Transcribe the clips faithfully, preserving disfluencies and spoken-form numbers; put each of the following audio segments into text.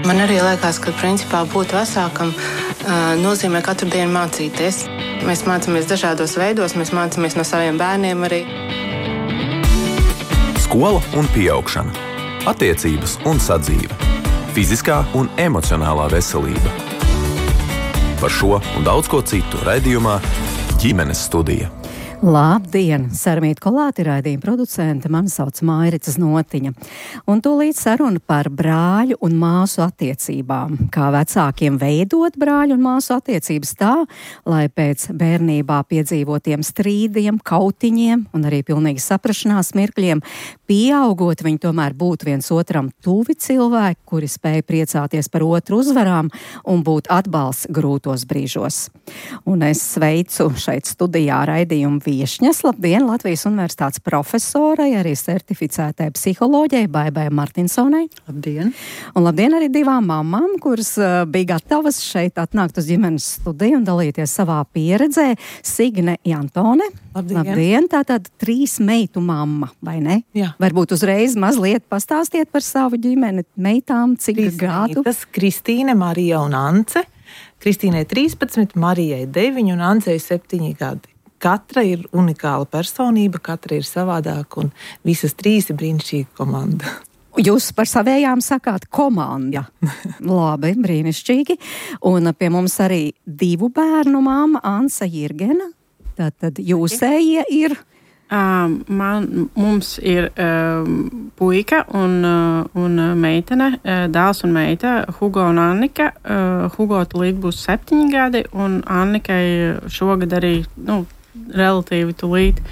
Man arī liekas, ka principā būt vecākam uh, nozīmē katru dienu mācīties. Mēs mācāmies dažādos veidos, mēs mācāmies no saviem bērniem arī. Skola un pieaugšana, attiecības un sadzīve, fiziskā un emocionālā veselība. Par šo un daudz ko citu raidījumā Ģimenes studija. Labdien! Sarmīta Kolāte raidījuma producente, mani sauc Mairica Znotiņa. Un tūlīt saruna par brāļu un māsu attiecībām. Kā vecākiem veidot brāļu un māsu attiecības tā, lai pēc bērnībā piedzīvotiem strīdiem, kautiņiem un arī pilnīgi saprašanās mirkļiem pieaugot, viņi tomēr būtu viens otram tuvi cilvēki, kuri spēj priecāties par otru uzvarām un būt atbalsts grūtos brīžos. Un es sveicu šeit studijā raidījumu viešņas. Labdien, Latvijas Universitātes profesorai, arī certificētai psiholoģei Baibai Martinsonai. Labdien! Un labdien arī divām mamām, kuras uh, bija gatavas šeit atnākt uz ģimenes studiju un dalīties savā pieredzē. Signe Jantone. Labdien! Labdien! Tātad trīs meitu mamma, vai ne? Jā. Varbūt uzreiz mazliet pastāstiet par savu ģimeni, meitām, cik Trīs gadu? meitas, Kristīne, Marija un Ance. Kristīnei trīspadsmit, Marijai deviņi un Ancei septiņi gadi. Katra ir unikāla personība, katra ir savādāka un visas trīs ir brīnišķīga komanda. Jūs par savējām sakāt komanda. Labi, brīnišķīgi. Un pie mums arī divu bērnu māma Ansa Jirgena. Tātad jūsējie ir... Um, man, mums ir um, puika un, uh, un meitene, uh, dēls un meita, Hugo un Annika. Uh, Hugo tulīt būs septiņi gadi, un Annikai šogad arī, nu, relatīvi tulīt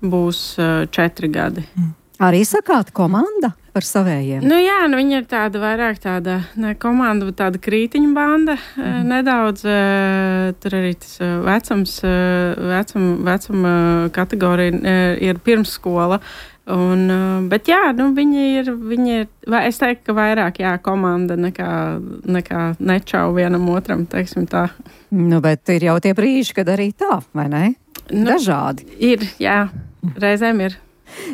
būs uh, četri gadi. Mm. Arī sakāt komanda par savējiem? Nu jā, nu viņa ir tāda vairāk tāda ne komanda, bet tāda krītiņu banda. Mm. Nedaudz uh, tur arī tas uh, vecums, uh, vecum, vecuma kategorija uh, ir pirmsskola. Un, uh, bet jā, nu viņi ir, viņi ir, es teiktu, ka vairāk jā, komanda nekā, nekā nečau vienam otram, teiksim tā. Nu, bet ir jau tie brīži, kad arī tā, vai ne? Nu, dažādi. Ir, jā, reizēm ir.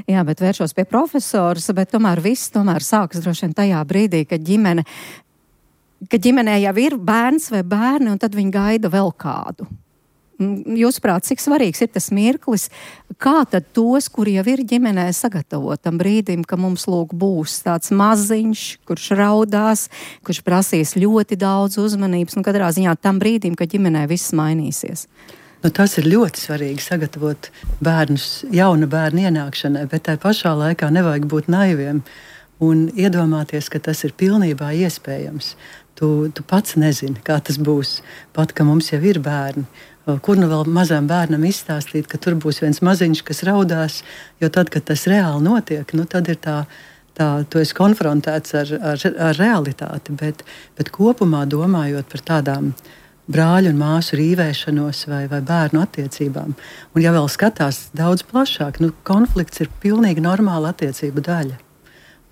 Jā, bet vēršos pie profesoras, bet tomēr viss tomēr sākas droši vien tajā brīdī, kad ģimene, kad ģimenē jau ir bērns vai bērni, un tad viņi gaida vēl kādu. Jūsuprāt, cik svarīgs ir tas mirklis, kā tad tos, kuri jau ir ģimenē, sagatavot tam brīdim, ka mums lūk būs tāds maziņš, kurš raudās, kurš prasīs ļoti daudz uzmanības, un katrā ziņā tam brīdim, kad ģimenē viss mainīsies. Nu, tas ir ļoti svarīgi sagatavot bērnus jauna bērna ienākšanai, bet tai pašā laikā nevajag būt naiviem un iedomāties, ka tas ir pilnībā iespējams. Tu, tu pats nezini, kā tas būs, pat ka mums jau ir bērni. Kur nu vēl mazam bērnam izstāstīt, ka tur būs viens maziņš, kas raudās, jo tad, kad tas reāli notiek, nu, tad ir tā, tā tu esi konfrontēts ar, ar, ar realitāti, bet, bet kopumā domājot par tādām brāļu un māsu rīvēšanos vai, vai bērnu attiecībām. Un ja vēl skatās daudz plašāk, nu, konflikts ir pilnīgi normāla attiecību daļa.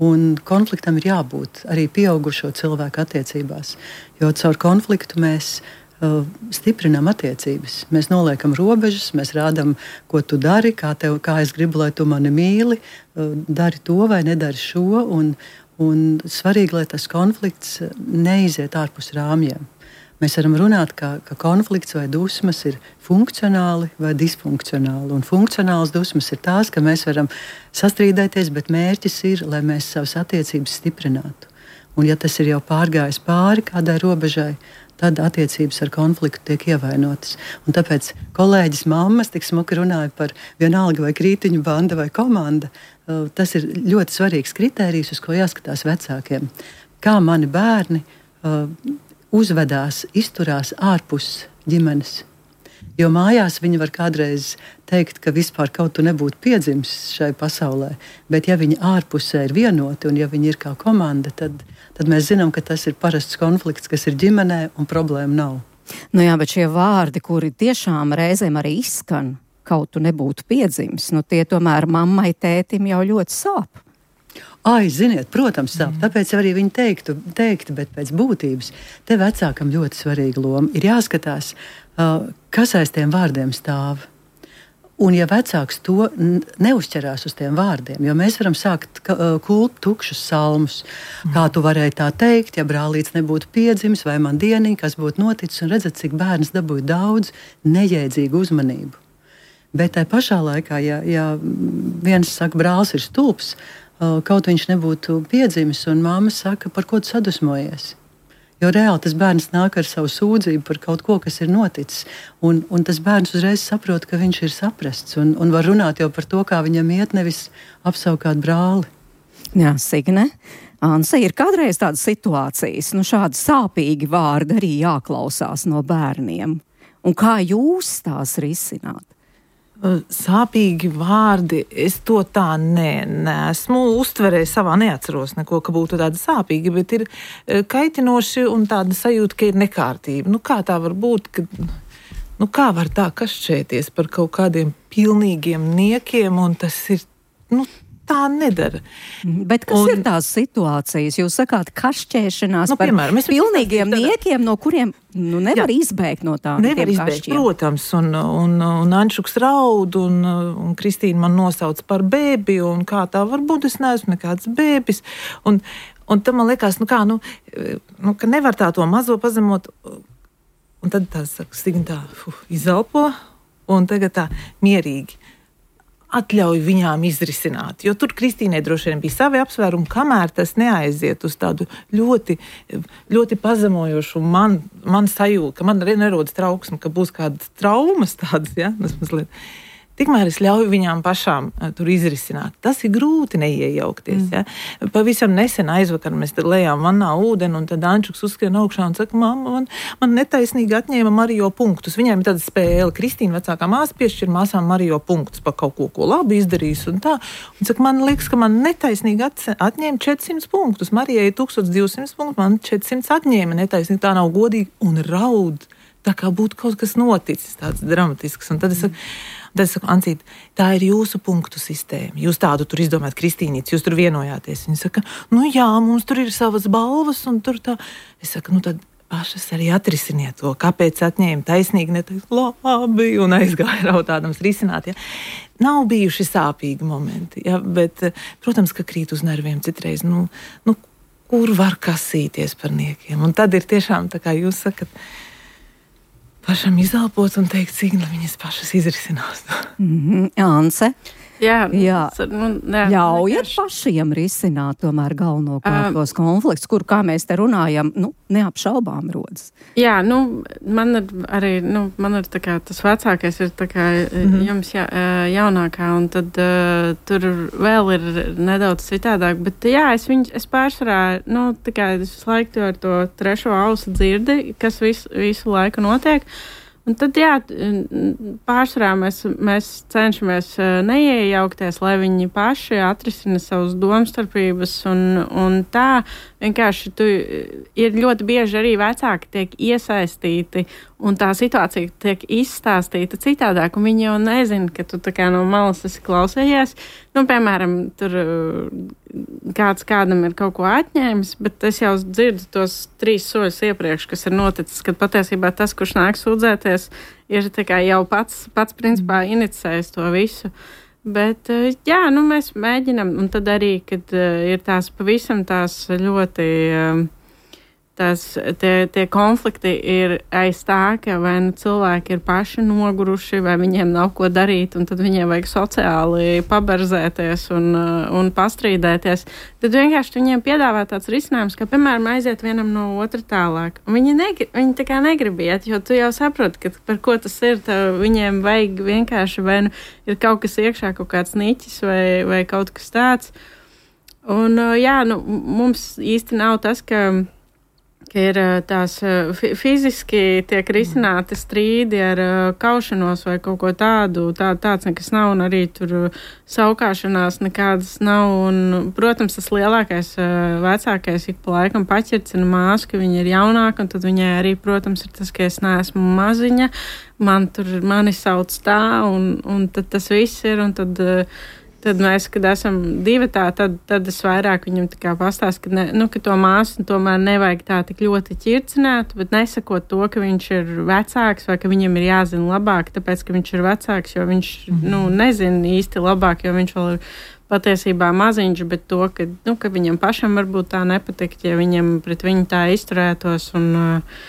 Un konfliktam ir jābūt arī pieaugušo cilvēku attiecībās, jo caur konfliktu mēs uh, stiprinām attiecības. Mēs noliekam robežas, mēs rādam, ko tu dari, kā, tev, kā es gribu, lai tu mani mīli, uh, dari to vai nedari šo, un, un svarīgi, lai tas konflikts neiziet ārpus rāmjiem. Mēs varam runāt, ka, ka konflikts vai dusmas ir funkcionāli vai disfunkcionāli. Un funkcionāls dusmas ir tās, ka mēs varam sastrīdēties, bet mērķis ir, lai mēs savas attiecības stiprinātu. Un ja tas ir jau pārgājis pāri kādai robežai, tad attiecības ar konfliktu tiek ievainotas. Un tāpēc kolēģis mammas tik smuki runāja par vienalga vai krītiņu banda vai komanda. Tas ir ļoti svarīgs kritērijs, uz ko jāskatās vecākiem. Kā mani bērni uzvedās, izturās ārpus ģimenes. Jo mājās viņi var kādreiz teikt, ka vispār kaut tu nebūtu piedzimis šai pasaulē, bet ja viņi ārpusē ir vienoti un ja viņi ir kā komanda, tad, tad mēs zinām, ka tas ir parasts konflikts, kas ir ģimenē un problēma nav. Nu jā, bet šie vārdi, kuri tiešām reizēm arī izskan, kaut tu nebūtu piedzimis, nu tie tomēr mammai, tētim jau ļoti sāp. Ai, ziniet, protams, sāp. Tāpēc arī viņi teiktu, teiktu, bet pēc būtības te vecākam ļoti svarīga loma. Ir jāskatās, uh, kas aiz tiem vārdiem stāv. Un ja vecāks to neuzķerās uz tiem vārdiem, jo mēs varam sākt kult tukšus salmus, kā tu varēji tā teikt, ja brālīts nebūtu piedzimis vai man dieniņa, kas būtu noticis, un redzat, cik bērns dabūja daudz nejēdzīgu uzmanību. Bet tai pašā laikā, ja, ja viens saka, brālis ir stulbs, kaut viņš nebūtu piedzimis, un mamma saka, par ko tu sadusmojies? Jo reāli tas bērns nāk ar savu sūdzību par kaut ko, kas ir noticis. Un, un tas bērns uzreiz saprot, ka viņš ir saprasts un, un var runāt jau par to, kā viņam iet, nevis apsaukāt brāli. Jā, Signe. Anse, ir kādreiz tādas situācijas, nu šādi sāpīgi vārdi arī jāklausās no bērniem. Un kā jūs tās risināt? Sāpīgi vārdi, es to tā ne, neesmu uztverējis savā, neatceros neko, ka būtu tādi sāpīgi, bet ir kaitinoši un tāda sajūta, ka ir nekārtība. Nu, kā tā var būt, ka, nu, kā var tā kašķēties par kaut kādiem pilnīgiem niekiem, un tas ir, nu, tā nedara. Bet kas un, ir tās situācijas? Jūs sakāt, kašķēšanās nu, par piemēram, pilnīgiem niekiem, no kuriem nu, nevar jā, izbēgt no tādiem nevar izbēgt, kašķiem. Protams, un, un, un Anšuks raud, un, un Kristīna man nosauc par bēbi, un kā tā var būt, es neesmu nekāds bēbis. Un, un tam man liekas, nu kā, nu, nu, ka nevar tā to mazo pazemot, un tad tā saka, Signa tā, fuh, izelpo, un tagad tā mierīgi atļauj viņām izrisināt. Jo tur Kristīnai droši vien bija savi apsvērumi, kamēr tas neaiziet uz tādu ļoti, ļoti pazemojošu man, man sajūtu, ka man arī nerodas trauksme, ka būs kādas traumas tādas, ja, tas mazliet. Tikmēr es ļauju viņām pašām uh, tur izrisināt. Tas ir grūti neiejaukties. Mm. Ja? Pavisam nesen aizvakar mēs lejām vannā ūdeni, un tad Ančuks uzskrien augšā un saka, mamma, man, man netaisnīgi atņēma Marijo punktus. Viņiem ir tāda spēle. Kristīna vecākā māsa piešķir māsām Marijo punktus par kaut ko, ko labi izdarījis un tā. Un saka, man liekas, ka man netaisnīgi atņēma četrsimt punktus. Marijai ir tūkstoš divsimt punktus, man četrsimt atņēma netaisnīgi. Tā nav godīgi un raud. Tā kā būtu kaut kas noticis, tāds dramatisks. Un tad es saku, Tad es saku, Ancīt, tā ir jūsu punktu sistēma. Jūs tādu tur izdomājat, Kristīnīts, jūs tur vienojāties. Viņa saka, nu jā, mums tur ir savas balvas, un tur tā. Es saku, nu tad pašas arī atrisiniet to, kāpēc atņēma taisnīgi, neteikt, labi, un aizgāja raudādams risināt. Ja. Nav bijuši sāpīgi momenti, ja, bet, protams, ka krīt uz nerviem citreiz, nu, nu, kur var kasīties par niekiem. Un tad ir tiešām, tā kā jūs sakat, pašam izelpot un teikt, cik lai viņas pašas izrisinās. Mm-hmm. Anse? Jā, jā. Nu, jā ļaujiet pašiem risināt tomēr galvenokārt tos um, konflikts, kur, kā mēs te runājam, nu, neapšaubām rodas. Jā, nu, man ir arī, nu, man ir tā kā tas vecākais ir tā kā mm-hmm. jums ja, jaunākā, un tad uh, tur vēl ir nedaudz citādāk, bet jā, es viņu, es pārsvarā, nu, tā kā es visu laiku ar to trešo ausu dzirdi, kas visu, visu laiku notiek. Un tad, jā, pārsvarā mēs, mēs cenšamies neiejaukties, lai viņi paši atrisina savus domstarpības, un, un tā vienkārši tu, ir ļoti bieži arī vecāki tiek iesaistīti, un tā situācija tiek izstāstīta citādāk, un viņi jau nezina, ka tu tā kā no malas esi klausējies. Nu, piemēram, tur kāds kādam ir kaut ko atņēmis, bet es jau dzirdu tos trīs soļus iepriekš, kas ir noticis, kad patiesībā tas, kurš nāk sūdzēties, ir tā kā jau pats, pats principā inicējis to visu. Bet, jā, nu mēs mēģinam, un tad arī, kad ir tās pavisam tās ļoti, tās, tie, tie konflikti ir aiz tā, ka vai nu cilvēki ir paši noguruši, vai viņiem nav ko darīt, un tad viņiem vajag sociāli paberzēties un, un pastrīdēties. Tad vienkārši viņiem piedāvā tāds risinājums, ka, piemēram, aiziet vienam no otra tālāk. Un viņi, negri, viņi tā kā negrib iet, jo tu jau saproti, ka par ko tas ir, tev viņiem vajag vienkārši, vai nu ir kaut kas iekšā, kaut kāds niķis vai, vai kaut kas tāds. Un, jā, nu, mums īsti nav tas, ka ka ir tās fiziski tiek risināti strīdi ar kaušanos vai kaut ko tādu, tā, tāds nekas nav, un arī tur saukāšanās nekādas nav, un, protams, tas lielākais vecākais ik pa laikam paķircina māsu, ka viņa ir jaunāka, un tad viņai arī, protams, ir tas, ka es neesmu maziņa, man tur, mani sauc tā, un, un tad tas viss ir, un tad Tad mēs, kad esam divatā, tad, tad es vairāk viņam tā kā pastāstu, ka, ne, nu, ka to māsu tomēr nevajag tā tik ļoti ķircināt, bet nesakot to, ka viņš ir vecāks vai ka viņam ir jāzina labāk, tāpēc, ka viņš ir vecāks, jo viņš, mm-hmm. nu, nezina īsti labāk, jo viņš vēl ir patiesībā maziņš, bet to, ka, nu, ka viņam pašam varbūt tā nepatikt, ja viņam pret viņu tā izturētos un... Uh,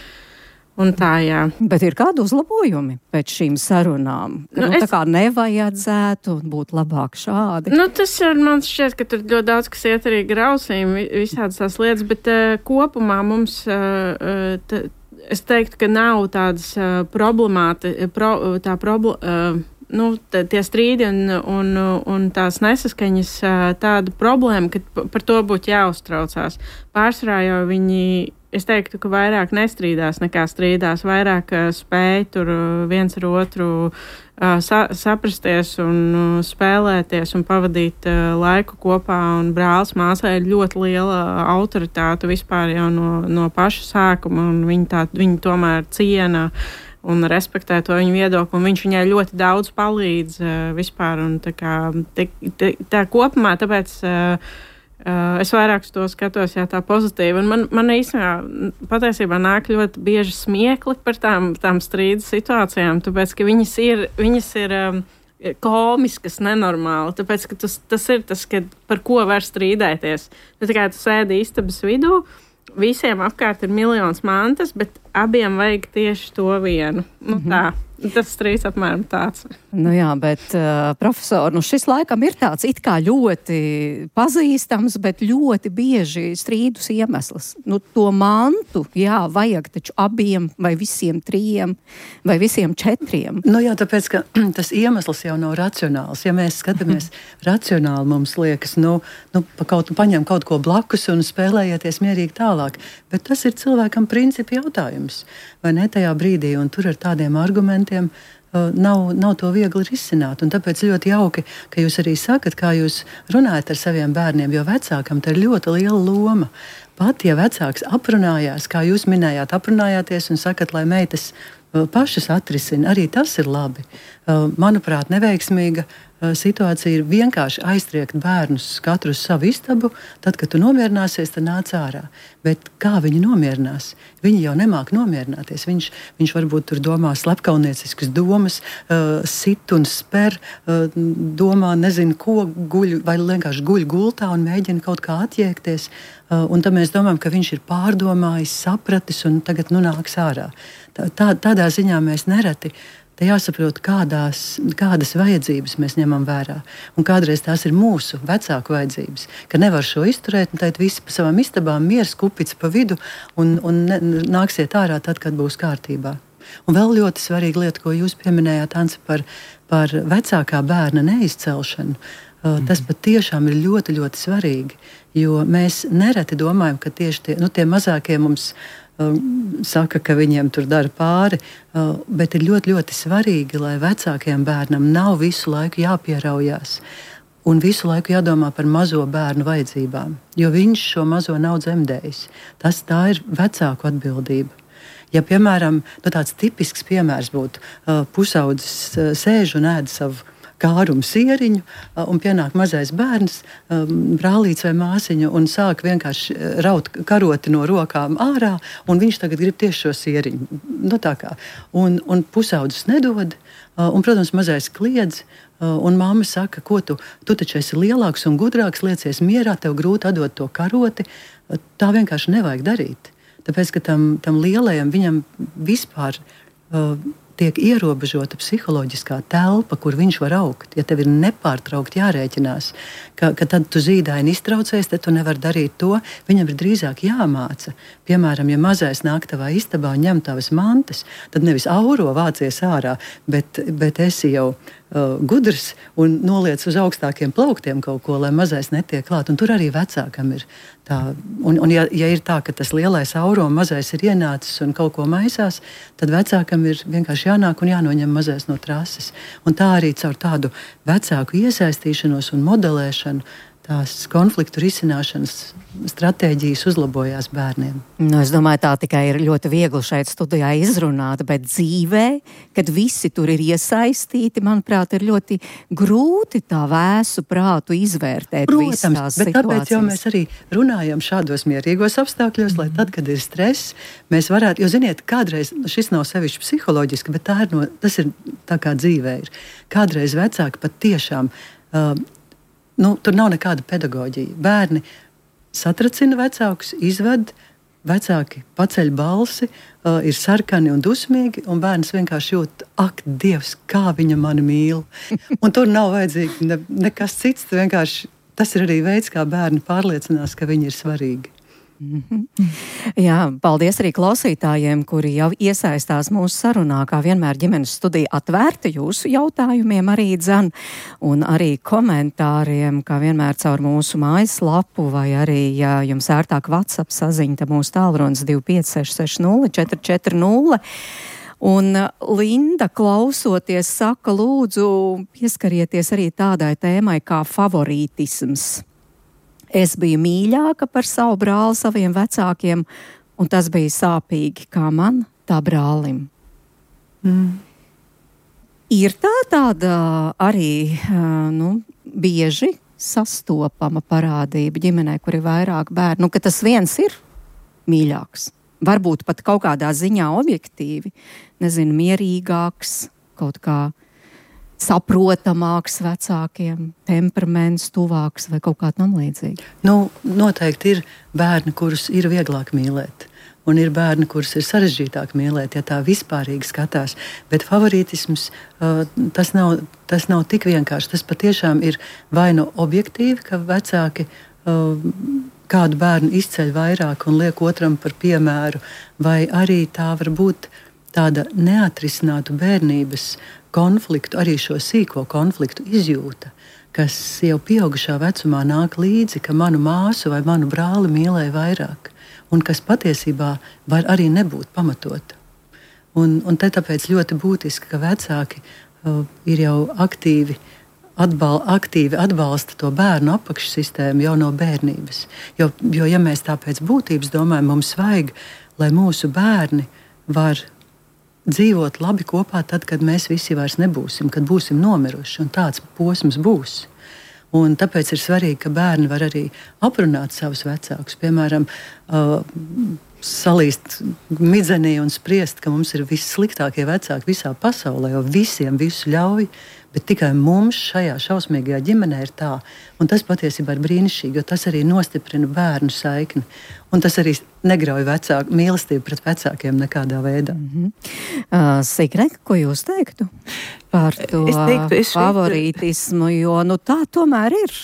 Un tā, jā. Bet ir kādi uzlabojumi pēc šīm sarunām? Ka, nu, nu, es... Tā kā nevajadzētu būt labāk šādi. Nu, tas ir, man šķiet, ka tur ļoti daudz, kas iet arī grausīm, visādas tās lietas, bet uh, kopumā mums, uh, t, es teiktu, ka nav tādas uh, problemāti, pro, tā probl, uh, nu, t, tie strīdi un, un, un tās nesaskaņas uh, tāda problēma, ka par to būtu jāuztraucās. Pārsvarā jau viņi... Es teiktu, ka vairāk nestrīdās nekā strīdās, vairāk uh, spēj tur uh, viens ar otru uh, sa saprasties un uh, spēlēties un pavadīt uh, laiku kopā. Un brālis māsai ir ļoti liela autoritāte vispār jau no, no paša sākuma, un viņi, tā, viņi tomēr ciena un respektē to viņu viedokli, un viņš viņai ļoti daudz palīdz uh, vispār. Un tā kā te, te, tā kopumā, tāpēc... Uh, Uh, es vairāk to skatos, jā, tā pozitīvi. Un man, man īstenībā patiesībā nāk ļoti bieži smiekli par tām, tām strīdu situācijām, tāpēc, ka viņas ir, viņas ir um, komiskas, nenormāli. Tāpēc, ka tas, tas ir tas, ka par ko var strīdēties. Tā kā tu sēdi istabas vidū, visiem apkārt ir miljons mantas, bet abiem vajag tieši to vienu. Nu, mm-hmm. tā. Tas strīds apmēram tāds. Nu jā, bet, uh, profesor, nu šis laikam ir tāds it kā ļoti pazīstams, bet ļoti bieži strīdus iemesls. Nu, to mantu, jā, vajag taču abiem vai visiem trījiem vai visiem četriem. Nu jā, tāpēc, ka tas iemesls jau nav racionāls. Ja mēs skatāmies racionāli, mums liekas, nu, nu pa kaut, paņem kaut ko blakus un spēlējieties mierīgi tālāk. Bet tas ir cilvēkam principi jautājums. Vai ne tajā brīdī, un tur ar tādiem argumentiem uh, nav, nav to viegli risināt. Un tāpēc ļoti jauki, ka jūs arī sakat, kā jūs runājat ar saviem bērniem, jo vecākam tā ir ļoti liela loma. Pat, ja vecāks aprunājās, kā jūs minējāt, aprunājāties un sakat, lai meitas uh, pašas atrisina, arī tas ir labi. Uh, manuprāt, neveiksmīga uh, situācija ir vienkārši aiztriekt bērnus katru uz savu istabu, tad, kad tu nomierināsies, tad nāc ārā. Bet kā viņi nomierinās? Viņi jau nemāk nomierināties. Viņš, viņš varbūt tur domā slepkaunieciskas domas, uh, sit un sper, uh, domā nezinu ko, guļ, vai vienkārši guļ gultā un mēģina kaut kā atjēgties. Uh, un tad mēs domājam, ka viņš ir pārdomājis, sapratis un tagad nu nāks ārā. Tā, tā, tādā ziņā mēs nereti. Te jāsaprot, kādās, kādas vajadzības mēs ņemam vērā. Un kādreiz tās ir mūsu vecāku vajadzības, ka nevar šo izturēt, un tad visi pa savām istabām miers, kupica pa vidu, un, un ne, nāksiet ārā tad, kad būs kārtībā. Un vēl ļoti svarīga lieta, ko jūs pieminējāt, Anse, par, par vecākā bērna neizcelšanu. Mm-hmm. Tas pat tiešām ir ļoti, ļoti svarīgi, jo mēs nereti domājam, ka tieši tie, nu, tie mazākie mums saka, ka viņiem tur dara pāri, bet ir ļoti, ļoti svarīgi, lai vecākajam bērnam nav visu laiku jāpieraujās un visu laiku jādomā par mazo bērnu vajadzībām, jo viņš šo mazo nav dzemdējis. Tas tā ir vecāku atbildība. Ja, piemēram, nu, tāds tipisks piemērs būtu, pusaudzis sēž un ēd savu kārumu sieriņu, un pienāk mazais bērns, brālīts vai māsiņa, un sāk vienkārši raut karoti no rokām ārā, un viņš tagad grib tieši šo sieriņu. Nu, tā kā. Un, un pusaudzis nedod, un, protams, mazais kliedz, un mamma saka, ko tu, tu taču esi lielāks un gudrāks, liecies mierā, tev grūti atdot to karoti. Tā vienkārši nevajag darīt. Tāpēc, ka tam, tam lielajam viņam vispār uh, tiek ierobežota psiholoģiskā telpa, kur viņš var augt. Ja tev ir nepārtraukti jārēķinās, ka, ka tad tu zīdaini iztraucies, tad tu nevari darīt to, viņam ir drīzāk jāmāca. Piemēram, ja mazais nāk tavā istabā un ņem tavas mantas, tad nevis auro vācies ārā, bet, bet esi jau uh, gudrs un noliec uz augstākiem plauktiem kaut ko, lai mazais netiek klāt. Un tur arī vecākam ir tā. Un, un ja, ja ir tā, ka tas lielais auro un mazais ir ienācis un kaut ko maisās, tad vecākam ir vienkārši jānāk un jānoņem mazais no trases. Un tā arī caur tādu vecāku iesaistīšanos un modelēšanu tās konfliktu risināšanas stratēģijas uzlabojās bērniem. Nu, es domāju, tā tikai ir ļoti viegli šeit studijā izrunāt, bet dzīvē, kad visi tur ir iesaistīti, manuprāt, ir ļoti grūti tā vēsu prātu izvērtēt. Protams, bet tāpēc jau mēs arī runājam šādos mierīgos apstākļos, lai tad, kad ir stress, mēs varētu, jo ziniet, kādreiz, šis nav sevišķi psiholoģiski, bet tā ir no, tas ir tā kā dzīvē ir. Kādreiz vecāki pat tiešām, uh, nu, tur nav nekāda pedagoģija. Bērni satracina vecākus, izved, vecāki paceļ balsi, uh, ir sarkani un dusmīgi, un bērns vienkārši jūt, ak, Dievs, kā viņa mani mīl. Un tur nav vajadzīgi ne, nekas cits, vienkārši tas ir arī veids, kā bērni pārliecinās, ka viņi ir svarīgi. Mm-hmm. Jā, paldies arī klausītājiem, kuri jau iesaistās mūsu sarunā, kā vienmēr ģimenes studija atvērta jūsu jautājumiem arī dzan, un arī komentāriem, kā vienmēr caur mūsu mājaslapu, vai arī, ja jums ērtāk WhatsApp saziņa, tad mūsu tālrunis divi pieci seši seši nulle četri četri nulle. Un Linda, klausoties, saka, lūdzu, pieskarieties arī tādai tēmai kā favorītisms. Es biju mīļāka par savu brāli saviem vecākiem, un tas bija sāpīgi kā man, tā brālim. Mm. Ir tā tāda arī, nu, bieži sastopama parādība ģimenē, kur ir vairāk bērnu, nu, ka tas viens ir mīļāks. Varbūt pat kaut kādā ziņā objektīvi, nezinu, mierīgāks, kaut kā saprotamāks vecākiem, temperaments tuvāks vai kaut kā tam līdzīgi? Nu, noteikti ir bērni, kurus ir vieglāk mīlēt. Un ir bērni, kurus ir sarežģītāk mīlēt, ja tā vispārīgi skatās. Bet favorītisms, uh, tas, nav, tas nav tik vienkārši. Tas patiešām ir vai nu objektīvi, ka vecāki uh, kādu bērnu izceļ vairāk un liek otram par piemēru, vai arī tā var būt tāda neatrisinātu bērnības konfliktu, arī šo sīko konfliktu izjūta, kas jau pieaugušā vecumā nāk līdzi, ka manu māsu vai manu brāli mīlēja vairāk, un kas patiesībā var arī nebūt pamatota. Un, un te tāpēc ļoti būtiski, ka vecāki uh, ir jau aktīvi, atbal, aktīvi atbalsta to bērnu apakšsistēmu jau no bērnības. Jo, jo ja mēs tā pēc būtības domājam, mums vajag, lai mūsu bērni var dzīvot labi kopā tad, kad mēs visi vairs nebūsim, kad būsim nomiruši, un tāds posms būs. Un tāpēc ir svarīgi, ka bērni var arī aprunāt savus vecākus, piemēram, uh, salīst midzenī un spriest, ka mums ir vissliktākie vecāki visā pasaulē, jo visiem visu ļauj, bet tikai mums šajā šausmīgajā ģimenē ir tā. Un tas patiesībā ir brīnišķīgi, jo tas arī nostiprina bērnu saikni. Un tas arī negrauj vecāku mīlestību pret vecākiem nekādā veidā. Mm-hmm. uh, Sigreka, ko jūs teiktu par to es teiktu, es favorītismu, jo nu, tā tomēr ir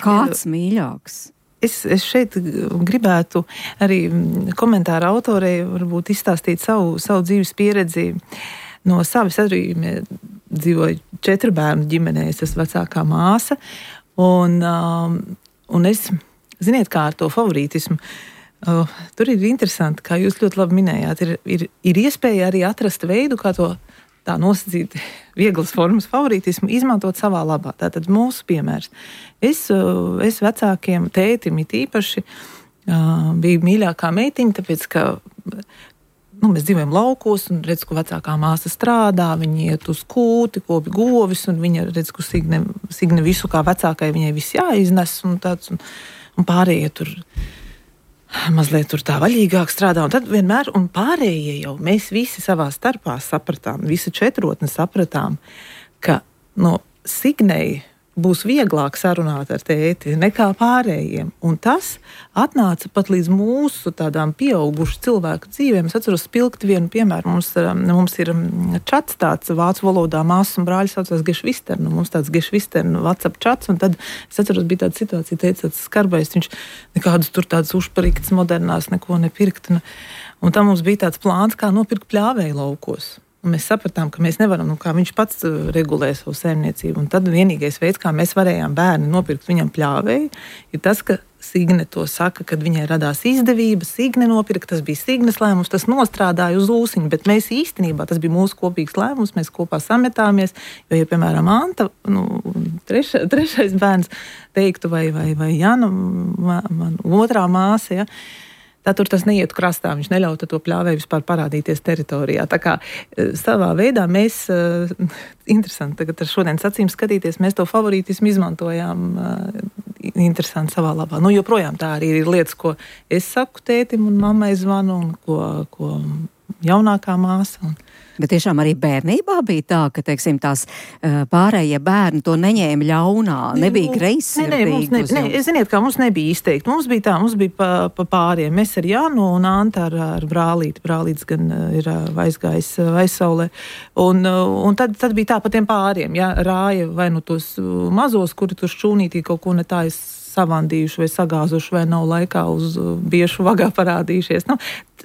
kāds mīļāks? Es, es šeit gribētu arī komentāra autorei varbūt izstāstīt savu, savu dzīves pieredzi. No savas arī dzīvoju četru bērnu ģimenē, es esmu vecākā māsa, un, um, un es, ziniet, kā ar to favorītismu, uh, tur ir interesanti, kā jūs ļoti labi minējāt, ir, ir, ir iespēja arī atrast veidu, kā to tā nosacīt vieglas formas favorītismu izmantot savā labā. Tātad mūsu piemērs. Es, uh, es vecākiem tētim it īpaši uh, biju mīļākā meitiņa, tāpēc, ka nu, mēs dzīvojam laukos, un redz, ko vecākā māsa strādā, viņi iet uz kūti, kopi govis, un viņa redz, ko Signe, Signe visu kā vecākai viņai viss jāiznes, un tāds, un, un pārējie tur mazliet tur tā vaļīgāk strādā, un tad vienmēr, un pārējie jau, mēs visi savā starpā sapratām, visi četrotni sapratām, ka, no Signei būs vieglāk sarunāt ar tēti nekā pārējiem. Un tas atnāca pat līdz mūsu tādām pieaugušu cilvēku dzīvēm. Es atceros spilgti vienu piemēru. Mums, mums ir čats tāds vācu valodā, māsas un brāļi saucās Gešvistern. Mums tāds Gešvistern WhatsApp čats, un tad es atceros, bija tāda situācija, teica tāds skarbais, viņš nekādus tur tādas užpariktas modernās neko nepirkt. Un, un tam mums bija tāds plāns, kā nopirkt pļāvēju laukos. Un mēs sapratām, ka mēs nevaram, nu, kā viņš pats regulē savu saimniecību. Un tad vienīgais veids, kā mēs varējām bērni nopirkt viņam pļāvēju, ir tas, ka Signe to saka, kad viņai radās izdevība, Signe nopirka, tas bija Signes lēmums, tas nostrādāja uz ūsiņu, bet mēs īstenībā, tas bija mūsu kopīgs lēmums, mēs kopā sametāmies, jo, ja, piemēram, Anta, nu, treša, trešais bērns teiktu, vai, vai, vai Jana, man, man otrā māsa, ja, tā tur tas neietu krastā, viņš neļauta to pļāvēju vispār parādīties teritorijā. Tā kā savā veidā mēs, interesanti, tagad ar šodienas acīm skatīties, mēs to favorītismu izmantojām interesanti savā labā. Nu, joprojām tā arī ir lietas, ko es saku tētim un mammai zvanu, un ko, ko jaunākā māsa. Un bet tiešām arī bērnībā bija tā, ka, teiksim, tās pārējie bērni to neņēma ļaunā, nebija greizsirdīgi. Ne, ne, ne, ziniet, kā mums nebija izteikti. Mums bija tā, mums bija pa, pa pāriem. Mēs ar Janu un Anta ar, ar brālīti. Brālītis gan ir aizgājis aizsaulē. Un, un tad, tad bija tā pa tiem pāriem. Ja, rāja vai nu tos mazos, kuri tur šķūnītī kaut ko ne tā savandījuši vai sagāzuši vai nav laikā uz biešu vagā parādījušies. Nu,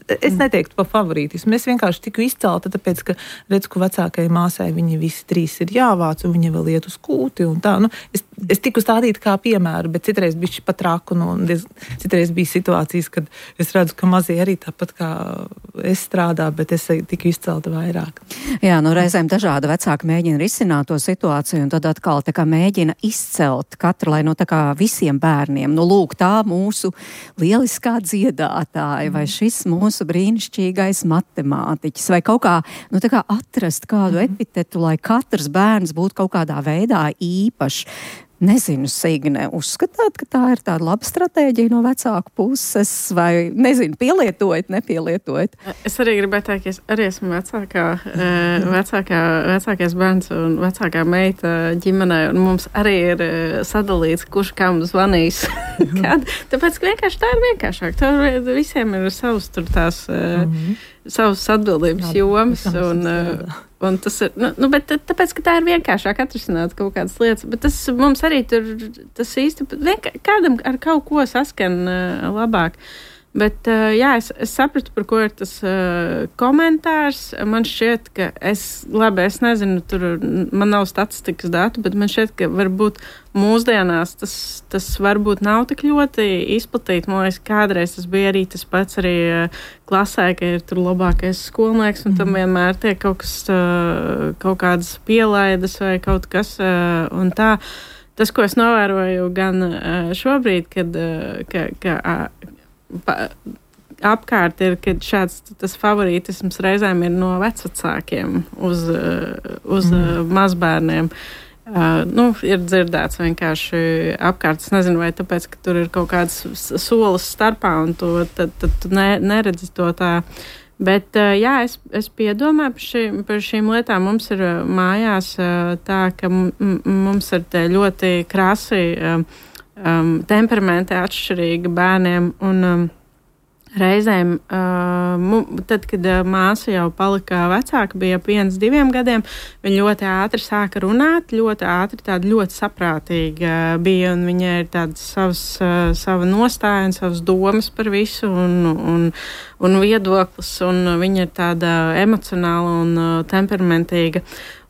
es neteiktu pa favorītismu. Es vienkārši tiku izcelta, tāpēc, ka redzu, ka vecākajai māsai viņi visi trīs ir jāvāc un viņi vēl iet uz kūti un tā. Nu, es, es tiku stādīta kā piemēru, bet citreiz bišķi pat traku. Nu, citreiz bija situācijas, kad es redzu, ka mazie arī tāpat kā es strādā, bet es tiku izcelta vairāk. Jā, nu reizēm dažādi vecāki mēģina risināt to situāciju un tad atkal tā kā mēģina izcelt katru, lai no tā kā visiem bērniem, nu lūk, tā mūsu lieliskā dziedātāja vai šis mūsu brīnišķīgais matemātiķis vai kaut kā, nu tā kā atrast kādu epitetu, lai katrs bērns būtu kaut kādā veidā īpašs. Nezinu, Signe, uzskatāt, ka tā ir tāda laba stratēģija no vecāku puses vai, nezinu, pielietojat, nepielietojat? Es arī gribētu teikt, ka es arī esmu vecākā, vecākā, vecākais bērns un vecākā meita ģimenē, un mums arī ir sadalīts, kurš kam zvanīs. Kad, tāpēc, ka vienkārši tā ir vienkāršāk. Tur visiem ir savas tur tās, mm-hmm. savas atbildības jomas, un, un tas ir, nu, nu, bet tāpēc, ka tā ir vienkāršāk atrisināt kaut kādas lietas, bet tas mums arī tur, tas īsti, vienkār, kādam ar kaut ko saskan uh, labāk. Bet, uh, jā, es, es sapratu, par ko ir tas uh, komentārs. Man šķiet, ka es, labi, es nezinu, tur man nav statistikas datu, bet man šķiet, ka varbūt mūsdienās tas, tas varbūt nav tik ļoti izplatīt. Man liekas, kādreiz tas bija arī tas pats arī uh, klasē, ka ir tur labākais skolnieks, un tam vienmēr tiek kaut kas, uh, kaut kādas pielaidas vai kaut kas, uh, un tā. Tas, ko es novēroju gan uh, šobrīd, kad, uh, ka, ka uh, Pa, apkārt ir, ka šāds tas favorītisms reizēm ir no vecvecākiem uz, uz mm. mazbērniem. Uh, nu, ir dzirdēts vienkārši apkārt. Es nezinu, vai tāpēc, ka tur ir kaut kāds solis starpā un to, tad, tad tu ne, neredzi to tā. Bet, uh, jā, es, es piedomāju par, šī, par šīm lietām. Mums ir mājās uh, tā, ka m, m, mums ir te ļoti krasi uh, Um, temperamenti atšķirīgi bērniem, un um, reizēm, uh, mu, tad, kad uh, māsa jau palika vecāka, bija ap viens, diviem gadiem, viņa ļoti ātri sāka runāt, ļoti ātri, tāda ļoti saprātīga bija, un viņai ir tādas savas, uh, sava nostāja un savas domas par visu, un, un, un viedoklis, un viņa ir tāda emocionāla un uh, temperamentīga.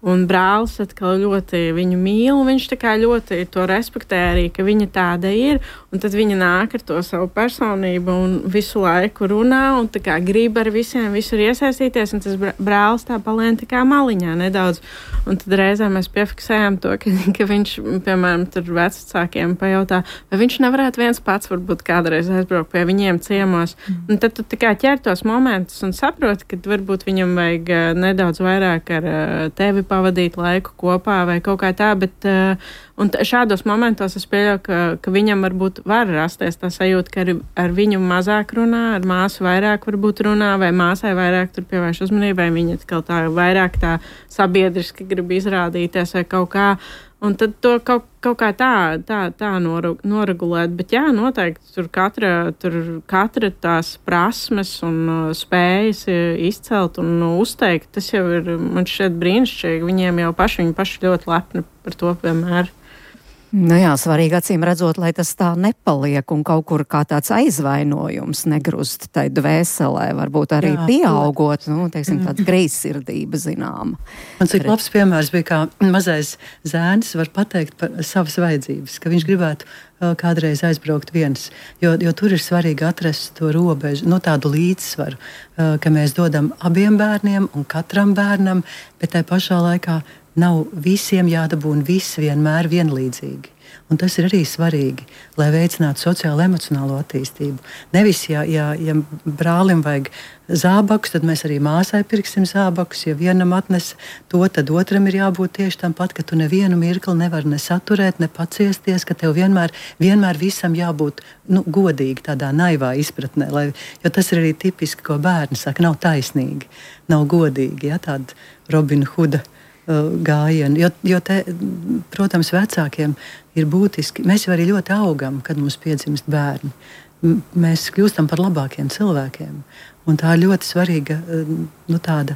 Un brālis atkal ļoti viņu mīl, un viņš tā kā ļoti to respektē arī, ka viņa tāda ir, un tad viņa nāk ar to savu personību un visu laiku runā, un tā kā grib ar visiem visur iesaistīties, un tas brālis tā palien tā kā maliņā nedaudz. Un tad reizē mēs piefiksējām to, ka, ka viņš, piemēram, tur vecākiem pajautā, vai viņš nevarētu viens pats varbūt kādreiz aizbraukt pie viņiem ciemos. Mm. Un tad tu tā kā ķer tos momentus un saproti, ka varbūt viņam vajag nedaudz vairāk ar tevi pavadīt laiku kopā vai kaut kā tā, bet uh, un t- šādos momentos es pieļauju, ka, ka viņam varbūt var rasties tā sajūta, ka ar, ar viņu mazāk runā, ar māsu vairāk varbūt runā, vai māsai vairāk tur pievērš uzmanību, vai viņa atkal tā vairāk tā sabiedriski grib izrādīties vai kaut kā. Un tad to kaut, kaut kā tā, tā, tā noregulēt. Bet jā, noteikti tur katra, tur katra tās prasmes un uh, spējas izcelt un uh, uzteikt, tas jau ir, man šķiet brīnišķīgi. Viņiem jau paši, viņi paši ļoti lepni par to vienmēr. Nu jā, svarīgi acīm redzot, lai tas tā nepaliek un kaut kur kā tāds aizvainojums negrust tai dvēselē, varbūt arī jā, pieaugot, nu, teiksim, tāds greizsirdība zināma. Un cik labs piemērs bija, kā mazais zēns var pateikt par savas vajadzības, ka viņš gribētu uh, kādreiz aizbraukt viens, jo, jo tur ir svarīgi atrast to robežu, nu tādu līdzsvaru, uh, ka mēs dodam abiem bērniem un katram bērnam, bet tai pašā laikā nav visiem jādabūna viss vienmēr vienlīdzīgi. Un tas ir arī svarīgi, lai veicinātu sociālo emocionālo attīstību. Nevis, ja, ja, ja brālim vajag zābakus, tad mēs arī māsai pirksim zābakus. Ja vienam atnes to, tad otram ir jābūt tieši tam pat, ka tu nevienu mirkli nevar ne saturēt, ne paciesties, ka tev vienmēr, vienmēr visam jābūt nu, godīgi, tādā naivā izpratnē. Lai, jo tas ir arī tipiski, ko bērni saka, nav taisnīgi, nav godīgi, ja, tāda Robina Huda gājienu, jo, jo te, protams, vecākiem ir būtiski. Mēs jau arī ļoti augam, kad mums piedzimst bērni. M- mēs kļūstam par labākiem cilvēkiem. Un tā ir ļoti svarīga nu, tāda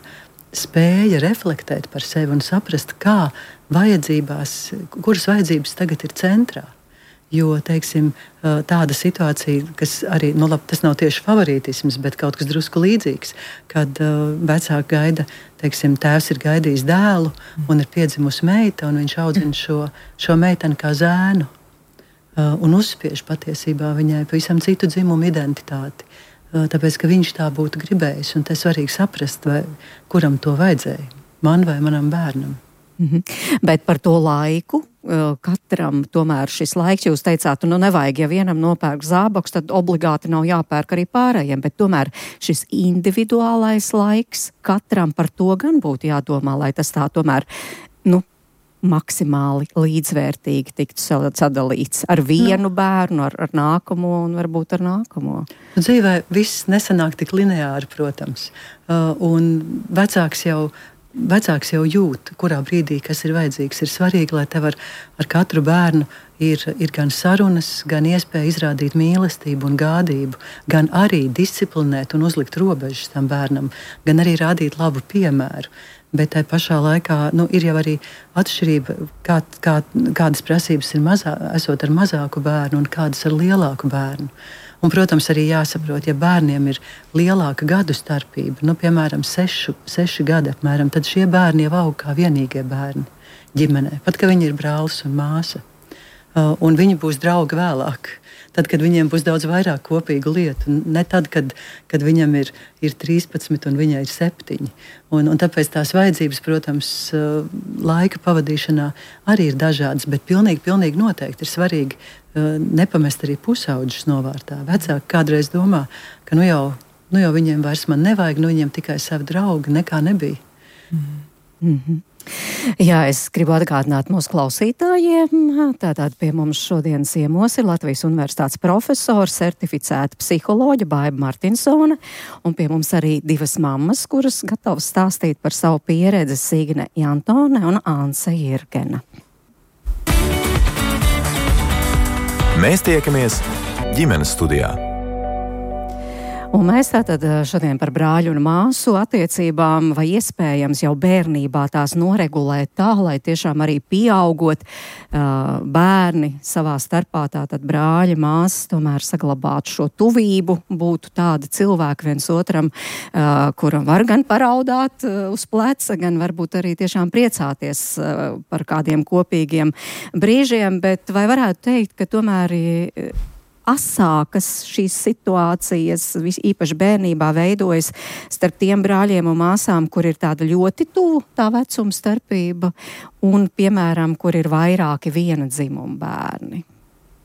spēja reflektēt par sevi un saprast, kā vajadzībās, kuras vajadzības tagad ir centrā. Jo, teiksim, tāda situācija, kas arī, nu labi, tas nav tieši favorītisms, bet kaut kas drusku līdzīgs, kad uh, vecāki gaida, teiksim, tēvs ir gaidījis dēlu un ir piedzimusi meita, un viņš audzina šo, šo meiteni kā zēnu uh, un uzspiež patiesībā viņai pavisam citu dzimumu identitāti, uh, tāpēc, ka viņš tā būtu gribējis, un te svarīgi saprast, vai, kuram to vajadzēja, man vai manam bērnam. Mhm. Bet par to laiku, katram tomēr šis laiks, jūs teicāt, nu nevajag, ja vienam nopērk zābakus, tad obligāti nav jāpērk arī pārējiem, bet tomēr šis individuālais laiks katram par to gan būtu jādomā, lai tas tā tomēr, nu, maksimāli līdzvērtīgi tiktu sadalīts ar vienu bērnu, ar, ar nākamo un varbūt ar nākamo. Dzīvē viss nesanāk tik lineāri, protams, uh, un vecāks jau Vecāks jau jūt, kurā brīdī kas ir vajadzīgs. Ir svarīgi, lai tev ar, ar katru bērnu ir, ir gan sarunas, gan iespēja izrādīt mīlestību un gādību, gan arī disciplinēt un uzlikt robežas tam bērnam, gan arī rādīt labu piemēru. Bet tai pašā laikā nu, ir jau arī atšķirība, kā, kā, kādas prasības ir mazā, esot ar mazāku bērnu un kādas ar lielāku bērnu. Un, protams, arī jāsaprot, ja bērniem ir lielāka gadu starpība, nu, piemēram, sešu, seši gadi apmēram, tad šie bērni jau aug kā vienīgie bērni ģimenē, pat ka viņi ir brālis un māsa. Uh, un viņi būs draugi vēlāk, tad, kad viņiem būs daudz vairāk kopīgu lietu. Ne tad, kad, kad viņam ir, ir trīspadsmit un viņai ir septiņi. Un, un tāpēc tās vajadzības, protams, uh, laika pavadīšanā arī ir dažādas, bet pilnīgi, pilnīgi noteikti ir svarīgi uh, nepamest arī pusauģus novārtā. Vecāki kādreiz domā, ka nu jau, nu jau viņiem vairs man nevajag, nu viņiem tikai savi draugi, nekā nebija. Mm-hmm. Jā, es gribu atgādināt mūsu klausītājiem. Tātad pie mums šodien ciemos ir Latvijas Universitātes profesora, certificēta psiholoģa Baiba Martinsone, un pie mums arī divas mammas, kuras gatavas stāstīt par savu pieredzi, Signe Jantone un Anse Jirgena. Mēs tiekamies ģimenes studijā. Un mēs tātad šodien par brāļu un māsu attiecībām, vai iespējams jau bērnībā tās noregulēt tā, lai tiešām arī pieaugot uh, bērni savā starpā, tātad brāļi, māsas, tomēr saglabātu šo tuvību, būtu tādi cilvēki viens otram, uh, kuram var gan paraudāt uh, uz pleca, gan varbūt arī tiešām priecāties uh, par kādiem kopīgiem brīžiem, bet vai varētu teikt, ka tomēr uh, asākas šīs situācijas, īpaši bērnībā, veidojas starp tiem brāļiem un māsām, kur ir tāda ļoti tuvu tā vecuma starpība, un, piemēram, kur ir vairāki viena dzimuma bērni.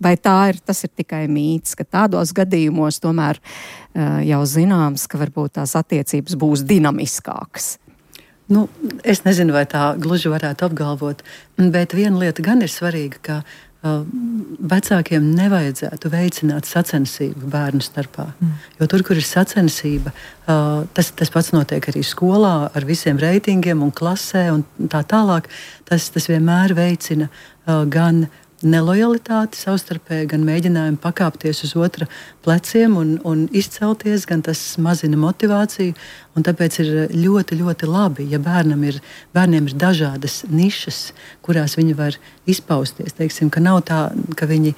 Vai tā ir, tas ir tikai mīts, ka tādos gadījumos tomēr uh, jau zināms, ka varbūt tās attiecības būs dinamiskākas? Nu, es nezinu, vai tā gluži varētu apgalvot, bet viena lieta gan ir svarīga, ka uh, vecākiem nevajadzētu veicināt sacensību bērnu starpā. Mm. Jo tur, kur ir sacensība, uh, tas, tas pats notiek arī skolā ar visiem reitingiem un klasē un tā tālāk. Tas, tas vienmēr veicina uh, gan nelojalitāte savstarpēji, gan mēģinājumi pakāpties uz otra pleciem un, un izcelties, gan tas mazina motivāciju. Un tāpēc ir ļoti, ļoti labi, ja bērnam ir, bērniem ir dažādas nišas, kurās viņi var izpausties. Teiksim, ka nav tā, ka viņi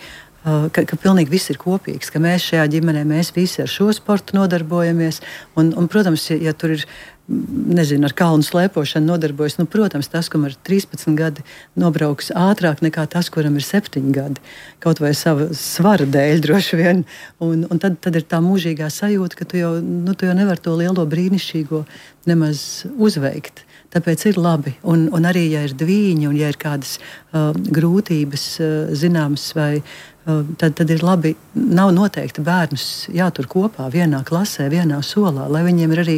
Ka, ka pilnīgi viss ir kopīgs, ka mēs šajā ģimenē, mēs visi ar šo sportu nodarbojamies. Un, un, protams, ja, ja tur ir, nezinu, ar kalnu slēpošanu nodarbojas, nu, protams, tas, kam ir trīspadsmit gadi, nobrauks ātrāk nekā tas, kuram ir septiņi gadi. Kaut vai sava svara dēļ droši vien. Un, un tad, tad ir tā mūžīgā sajūta, ka tu jau, nu, tu jau nevar to lielo brīnišķīgo nemaz uzveikt. Tāpēc ir labi. Un, un arī, ja ir dvīņi un ja ir kādas uh, grūtības uh, zināmas vai Tad, tad ir labi, nav noteikti bērnus jātur kopā vienā klasē, vienā solā, lai viņiem ir arī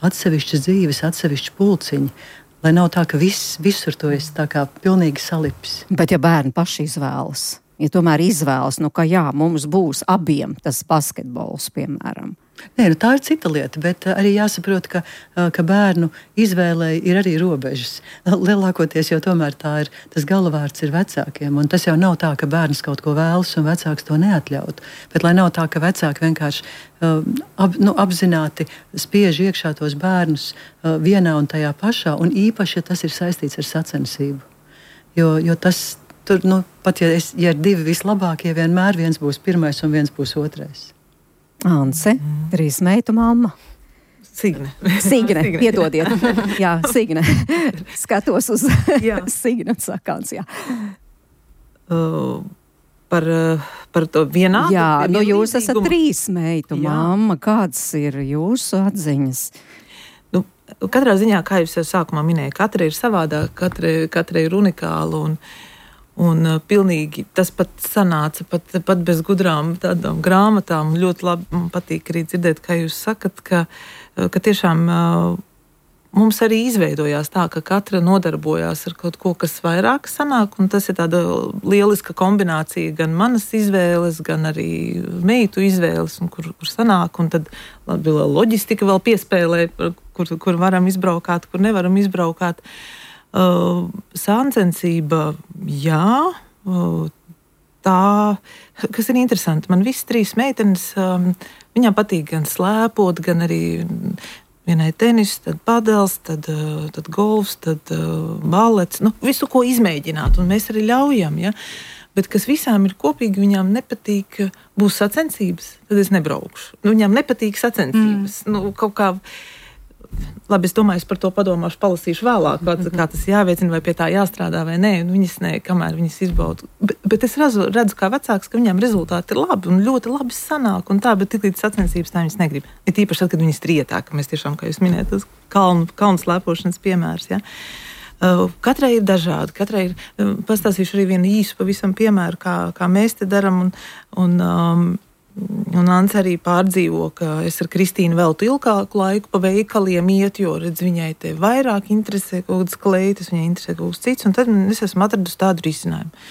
atsevišķas dzīves, atsevišķi pulciņi, lai nav tā, ka viss, visur to es tā kā pilnīgi salipis. Bet ja bērni paši izvēlas, ja tomēr izvēlas, nu ka jā, mums būs abiem tas basketbols, piemēram. Nē, nu tā ir cita lieta, bet arī jāsaprot, ka, ka bērnu izvēlei ir arī robežas. Lielākoties jau tomēr tā ir, tas galvārds ir vecākiem, un tas jau nav tā, ka bērns kaut ko vēlas un vecāks to neatļaut. Bet lai nav tā, ka vecāki vienkārši uh, ap, nu, apzināti spiež iekšā tos bērnus uh, vienā un tajā pašā, un īpaši, ja tas ir saistīts ar sacensību. Jo, jo tas, tur, nu, pat ja, es, ja ir divi vislabākie, vienmēr viens būs pirmais un viens būs otrais. Anse, trīs meitu mamma. Signe. Signe, piedodiet. Jā, Signe. Skatos uz Signe un sakāns, jā. Uh, par, par to vienādu? Jā, nu jūs esat trīs meitu mamma. Kādas ir jūsu atziņas? Nu, katrā ziņā, kā jūs jau sākumā minēja, katra ir savādāka, katra, katra ir unikāla un Un uh, pilnīgi tas pat sanāca, pat, pat bez gudrām tādām grāmatām. Ļoti labi man patīk arī dzirdēt, kā jūs sakat, ka, uh, ka tiešām uh, mums arī izveidojās tā, ka katra nodarbojās ar kaut ko, kas vairāk sanāk, un tas ir tāda lieliska kombinācija gan manas izvēles, gan arī meitu izvēles, un kur, kur sanāk, un tad labi, loģistika vēl piespēlē, kur, kur varam izbraukāt, kur nevaram izbraukāt. Uh, sāncensība, jā, uh, tā, kas ir interesanti. Man visas trīs meitenes, um, viņām patīk gan slēpot, gan arī vienai tenis, tad padels, tad, uh, tad golfs, tad uh, balets. Nu, visu, ko izmēģināt, un mēs arī ļaujam, ja. Bet kas visām ir kopīgi, viņām nepatīk, būs sacensības, tad es nebraukšu. Nu, viņām nepatīk sacensības. Mm. Nu, kaut kā... Labi, es domāju, es par to padomāšu, palasīšu vēlāk, mm-hmm. kā tas jāveicina, vai pie tā jāstrādā, vai nē. Viņas nē, kamēr viņas izbauda. Bet, bet es redzu, redzu kā vecāks, ka viņām rezultāti ir labi un ļoti labi sanāk. Un tā, bet tik līdz sacensības tā viņas negrib. Ir tīpaši tad, kad viņas trietā, ka mēs tiešām, kā jūs minējat, tas kalnu, kalnu slēpošanas piemērs. Ja? Uh, katrai ir dažādi. Katrai ir, uh, pastāstīšu arī vienu īsu pavisam piemēru, kā, kā mēs te daram. Un, un, um, Un Ants arī pārdzīvo, ka es ar Kristīnu veltu ilgāku laiku pa veikaliem iet, jo, redz, viņai te vairāk interesē kaut kādas kleitas, viņai interesē kaut kas cits, un tad es esmu atradusi tādu risinājumu.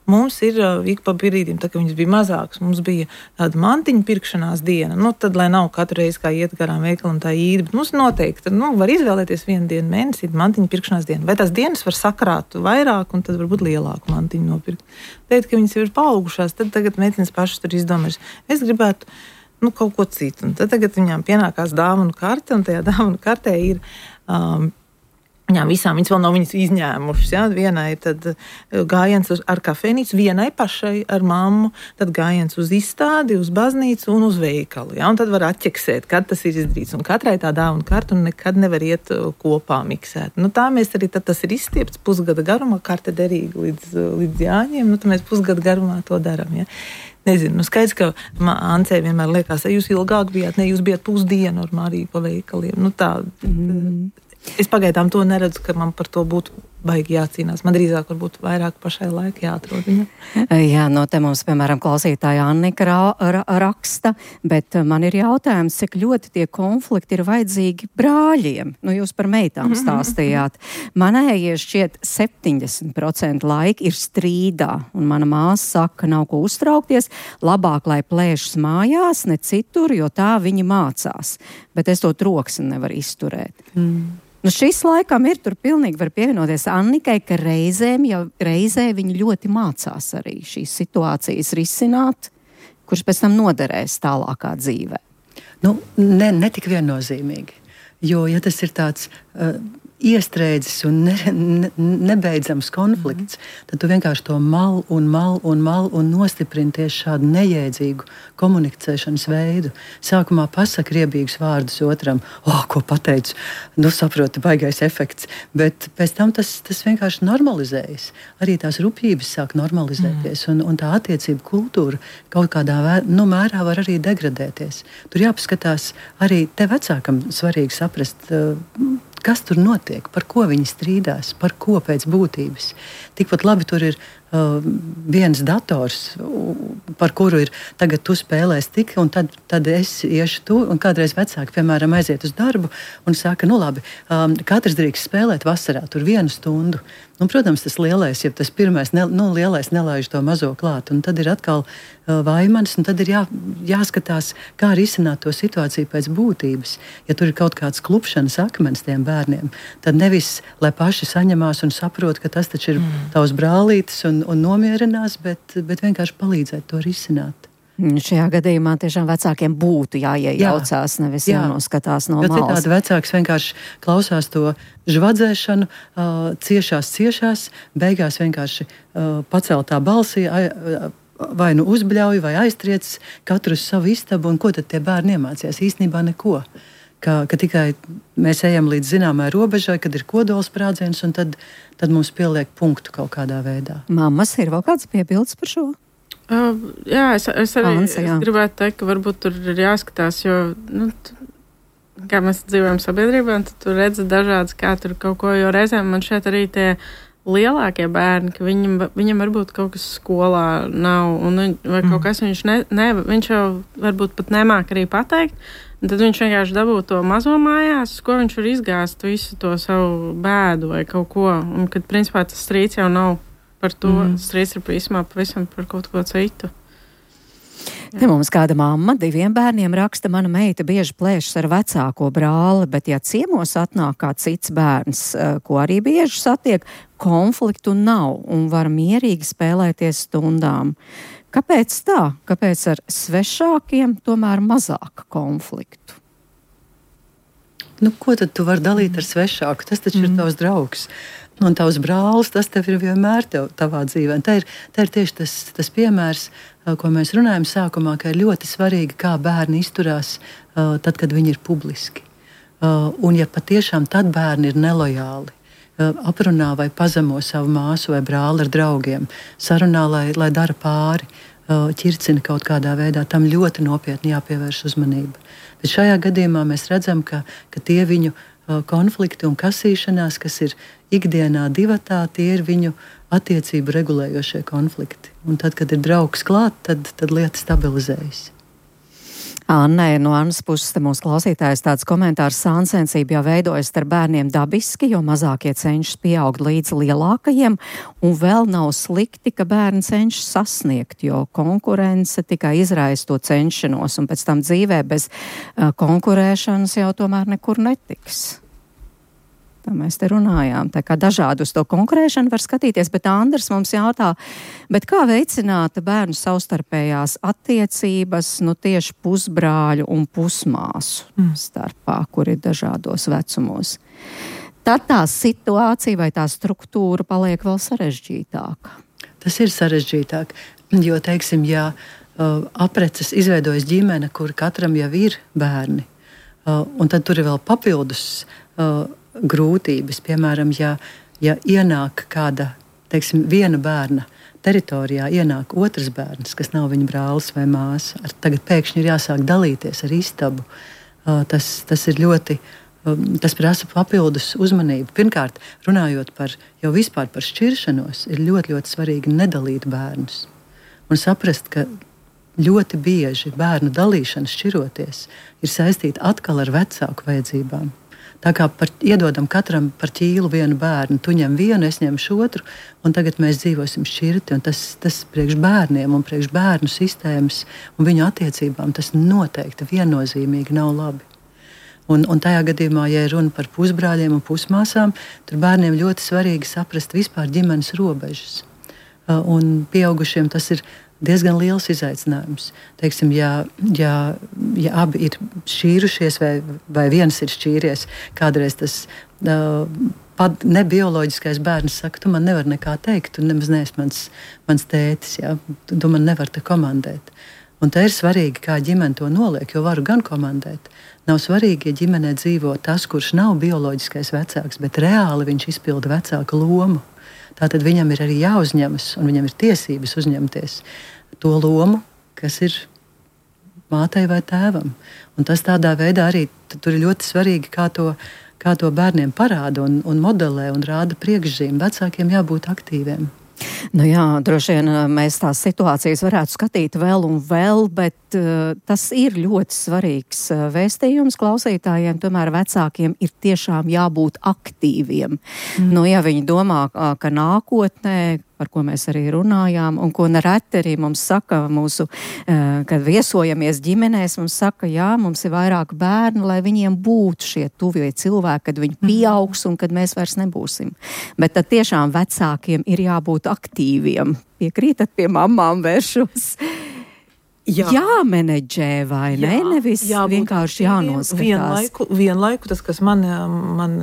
Mums ir ik pa brīdim, tā kā viņas bija mazākas, mums bija tāda mantiņu pirkšanās diena. Nu, tad, lai nav katru reizi kā iet garām veikalam tā īdi, bet mums noteikti, nu, var izvēlēties vienu dienu mēnesī mantiņu pirkšanās dienu. Vai tās dienas var sakrāt vairāk un tad varbūt lielāku mantiņu nopirkt. Teikt, ka viņas jau ir paaugušās, tad tagad meitenes pašas tur izdomājas. Es gribētu, nu, kaut ko citu. Un tad tagad viņām pienākās dāvanu karte, un tajā dāvanu kartē ir... Um, Viņām visām, viņas vēl nav viņas izņēmušas, ja? Vienai tad gājiens uz, ar kafejnīcu, vienai pašai ar mammu, tad gājiens uz izstādi, uz baznīcu un uz veikalu, ja? Un tad var atķeksēt, kad tas ir izdarīts, un katrai tā dāvana karta un nekad nevar iet kopā miksēt. Nu tā mēs arī, tad tas ir izstiepts pusgada garumā, karte derīga līdz, līdz Jāņiem, nu tad mēs pusgada garumā to daram, ja? Nezinu, nu skaidrs, ka Ancei vienmēr liekas, ja jūs ilgāk bijāt, ne, jūs bijāt pusdienu ar Mariju pa veikaliem, nu tā... Mm. Es pagaidām to neredzu, ka man par to būtu baigi jācīnās. Man drīzāk varbūt vairāk pašai laika jāatrod viņa. Jā, no te mums, piemēram, klausītāja Annika ra ra raksta, bet man ir jautājums, cik ļoti tie konflikti ir vajadzīgi brāļiem. Nu, jūs par meitām stāstījāt. Manējie šķiet septiņdesmit procenti laika ir strīdā, un mana māsa saka, nav ko uztraukties, labāk, lai plēšas mājās, ne citur, jo tā viņi mācās. Bet es to troksni nevaru izturēt. Mm. Nu, šis laikam ir tur pilnīgi var pievienoties Annikai, ka reizēm jau reizē viņi ļoti mācās arī šīs situācijas risināt, kurš pēc tam noderēs tālākā dzīvē. Nu, ne, ne tik viennozīmīgi, jo, ja tas ir tāds uh, iestrēdzis un ne, ne, nebeidzams konflikts, mm. tad tu vienkārši to mal un mal un mal un nostiprini tieši šādu nejēdzīgu komunicēšanas veidu. Sākumā pasaka riebīgus vārdus otram, oh, ko pateicu, nu saproti, baigais efekts, bet pēc tam tas, tas vienkārši normalizējas. Arī tās rupjības sāk normalizēties, mm. un, un tā attiecību kultūra kaut kādā vē, nu, mērā var arī degradēties. Tur jāpaskatās arī te vecākam svarīgi saprast, uh, kas tur notiek, par ko viņi strīdās, par ko pēc būtības. Tikpat labi tur ir uh, viens dators, par kuru ir tagad tu spēlēs tik, un tad, tad es iešu tu, un kādreiz vecāki, piemēram, aiziet uz darbu un saka, nu labi, um, katrs drīkst spēlēt vasarā, tur vienu stundu. Un, protams, tas lielais, ja tas pirmais, ne, nu, lielais nelaiž to mazo klāt, un tad ir atkal uh, vaimanis, un tad ir jā, jāskatās, kā risināt to situāciju pēc būtības. Ja tur ir kaut kāds klupšanas akmens tiem bērniem, tad nevis, lai paši saņemās un saprot, ka tas taču ir mm. tavs brālītis un, un nomierinās, bet, bet vienkārši palīdzēt to risināt. Šajā gadījumā tiešām vecākiem būtu jāiejaucās, jā, nevis jā. jānoskatās no jo malas. Citādi vecāks vienkārši klausās to žvadzēšanu, uh, ciešās, ciešās, beigās vienkārši uh, paceltā balsī, uh, vai nu uzbļauj, vai aiztriec katru uz savu istabu, un ko tad tie bērni iemācījās? Īstenībā neko. Ka, ka tikai mēs ejam līdz zināmai robežai, kad ir kodolsprādziens, un tad, tad mums pieliek punktu kaut kādā veidā. Mammas, ir vēl kāds piebildes par šo? Uh, jā, es, es arī Anse, jā. es gribētu teikt, ka varbūt tur ir jāskatās, jo, nu, t, kā mēs dzīvojam sabiedrībā, tad tu redzi dažādas, kā tur kaut ko, jo reizēm man šeit arī tie lielākie bērni, ka viņam, viņam varbūt kaut kas skolā nav, un, vai kaut kas viņš, ne, ne, viņš jau varbūt pat nemāk arī pateikt, un tad viņš vienkārši dabū to mazo mājās, ko viņš var izgāzt visu to savu bēdu vai kaut ko, un kad principā tas strīds jau nav par to, mm. strīds ir pavisam, pavisam par kaut ko citu. Te mums kāda mamma diviem bērniem raksta, mana meita bieži plēšas ar vecāko brāli, bet ja ciemos atnāk kā cits bērns, ko arī bieži satiek, konfliktu nav un var mierīgi spēlēties stundām. Kāpēc tā? Kāpēc ar svešākiem tomēr mazāk konfliktu? Nu, ko tad tu vari dalīt ar svešāku? Tas taču mm. ir tavs draugs. Un tavs brālis, tas tev ir vienmēr tev, tavā dzīvē. Tā ir, tā ir tieši tas, tas piemērs, ko mēs runājam sākumā, ka ir ļoti svarīgi, kā bērni izturās uh, tad, kad viņi ir publiski. Uh, un ja patiešām tad bērni ir nelojāli, uh, aprunā vai pazemo savu māsu vai brāli ar draugiem, sarunā, lai, lai dara pāri, uh, ķircina kaut kādā veidā, tam ļoti nopietni jāpievērš uzmanība. Bet šajā gadījumā mēs redzam, ka, ka tie viņu konflikti un kasīšanās, kas ir ikdienā divatā, tie ir viņu attiecību regulējošie konflikti. Un tad, kad ir draugs klāt, tad, tad lieta stabilizējas. Annē, no Annas puses te mūsu klausītājs tāds komentārs: sāncensība jau veidojas ar bērniem dabiski, jo mazākie cenšas pieaugt līdz lielākajiem, un vēl nav slikti, ka bērni cenšas sasniegt, jo konkurence tikai izraisa to cenšanos, un pēc tam dzīvē bez uh, konkurēšanas jau tomēr nekur netiks. Tā mēs te runājām, tā kā dažādi uz to konkurēšanu var skatīties, bet Andrs mums jautā, bet kā veicināt bērnu savstarpējās attiecības, nu tieši pusbrāļu un pusmāsu mm. starpā, kur ir dažādos vecumos. Tad tā situācija vai tā struktūra paliek vēl sarežģītāka. Tas ir sarežģītāk, jo, teiksim, ja uh, apreces izveidojas ģimene, kur katram jau ir bērni, uh, un tad tur ir vēl papildus uh, grūtības. Piemēram, ja, ja ienāk kāda, teiksim, viena bērna teritorijā, ienāk otrs bērns, kas nav viņa brālis vai māsa, ar tagad pēkšņi ir jāsāk dalīties ar istabu. Uh, tas, tas ir ļoti, um, tas prasa papildus uzmanību. Pirmkārt, runājot par, jau vispār par šķiršanos, ir ļoti, ļoti svarīgi nedalīt bērnus. Un saprast, ka ļoti bieži bērnu dalīšana šķiroties ir saistīta atkal ar vecāku vajadzībām. Tā kā par, iedodam katram par ķīlu vienu bērnu, tu ņem vienu, es ņemšu otru, un tagad mēs dzīvosim šķirti. Un tas, tas priekš bērniem un priekš bērnu sistēmas un viņu attiecībām tas noteikti viennozīmīgi nav labi. Un, un tajā gadījumā, ja ir runa par pusbrāļiem un pusmāsām, tur bērniem ļoti svarīgi saprast vispār ģimenes robežas. Un pieaugušiem tas ir diezgan liels izaicinājums. Teiksim, ja, ja, ja abi ir šķīrušies vai, vai viens ir šķīries, kādreiz tas uh, pat nebioloģiskais bērns saka, tu man nevari nekā teikt, tu nemaz neesi mans, mans tētis, ja? tu, tu man nevari te komandēt. Un tā ir svarīgi, kā ģimene to noliek, jo varu gan komandēt. Nav svarīgi, ja ģimenē dzīvo tas, kurš nav bioloģiskais vecāks, bet reāli viņš izpilda vecāka lomu. Tātad viņam ir arī jāuzņemas, un viņam ir tiesības uzņemties to lomu, kas ir mātei vai tēvam. Un tas tādā veidā arī tur ir ļoti svarīgi, kā to, kā to bērniem parāda un, un modelē un rāda priekšzīmi. Vecākiem jābūt aktīviem. Nu jā, droši vien mēs tās situācijas varētu skatīt vēl un vēl, bet uh, tas ir ļoti svarīgs uh, vēstījums klausītājiem. Tomēr vecākiem ir tiešām jābūt aktīviem. Mm. Nu, ja viņi domā, ka nākotnē, par ko mēs arī runājām, un ko nereti arī mums saka mūsu, kad viesojamies ģimenēs, mums saka, jā, mums ir vairāk bērnu, lai viņiem būtu šie tuvie cilvēki, kad viņi pieaugs un kad mēs vairs nebūsim. Bet tad tiešām vecākiem ir jābūt aktīviem. Piekrītat, pie mamām vēršos? Jā. Jāmenedžē vai ne? Jā, nevis vienkārši jānoskatās. Vienlaiku, vienlaiku tas, kas man... man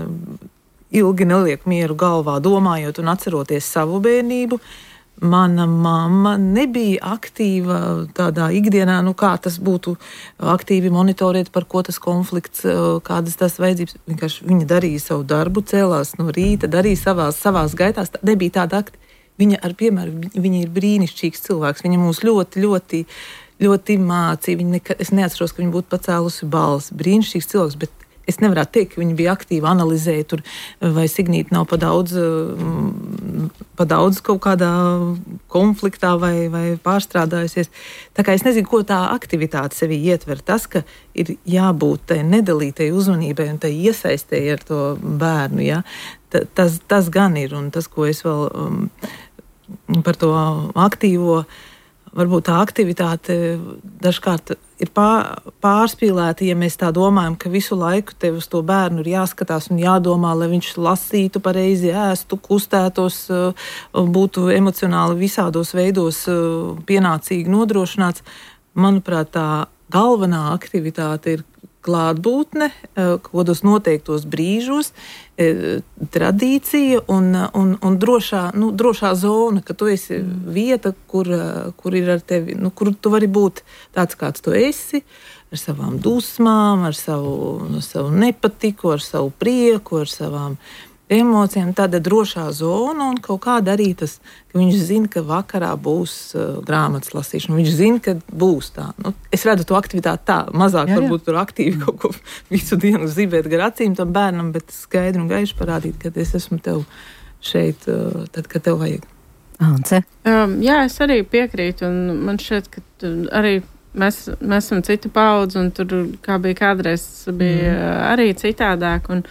ilgi neliek mieru galvā, domājot un atceroties savu bērnību. Mana mamma nebija aktīva tādā ikdienā, nu kā tas būtu aktīvi monitorēt, par ko tas konflikts, kādas tas vajadzības. Vienkārši viņa darīja savu darbu, cēlās no rīta, darīja savās, savās gaitās. Nebija tāda aktīva. Viņa ar piemēru, viņa ir brīnišķīgs cilvēks. Viņa mūs ļoti, ļoti, ļoti mācīja. Viņa nekad, es neatceros, ka viņa būtu pacēlusi balsi. Brīnišķīgs cilvēks, bet es nevarētu teikt, ka viņi bija aktīvi analizēja tur, vai Signīta nav pa daudz, pa daudz kaut kādā konfliktā vai, vai pārstrādājusies. Tā kā es nezinu, ko tā aktivitāte sevī ietver. Tas, ka ir jābūt tai nedalītai uzmanībai un tai iesaistēji ar to bērnu, ja? tas, tas gan ir. Un tas, ko es vēl um, par to aktīvo, varbūt tā aktivitāte dažkārt ir pārspīlēta, ja mēs tā domājam, ka visu laiku tev uz to bērnu ir jāskatās un jādomā, lai viņš lasītu pareizi, ēstu, kustētos, būtu emocionāli visādos veidos pienācīgi nodrošināts. Manuprāt, tā galvenā aktivitāte ir klātbūtne, kādos noteiktos brīžos, tradīcija un, un, un drošā, nu, drošā zona, ka tu esi vieta, kur, kur ir ar tevi, nu, kur tu vari būt tāds, kāds tu esi, ar savām dusmām, ar savu, savu nepatiku, ar savu prieku, ar savām emocijām, tāda drošā zona un kaut kāda arī tas, ka viņš zina, ka vakarā būs uh, grāmatas lasīšana, viņš zina, ka būs tā. Nu, es redzu to aktivitāti tā, mazāk jā, jā. Varbūt tur aktīvi kaut ko visu dienu zibēt gar acīm tam bērnam, bet skaidri un gaiši parādīt, ka es esmu tev šeit, uh, tad, kad tev vajag. Ance? Um, jā, es arī piekrītu, un man šķiet, ka arī mēs, mēs esam citu paudzi, un tur, kā bija kādreiz, bija mm. arī citādāk, un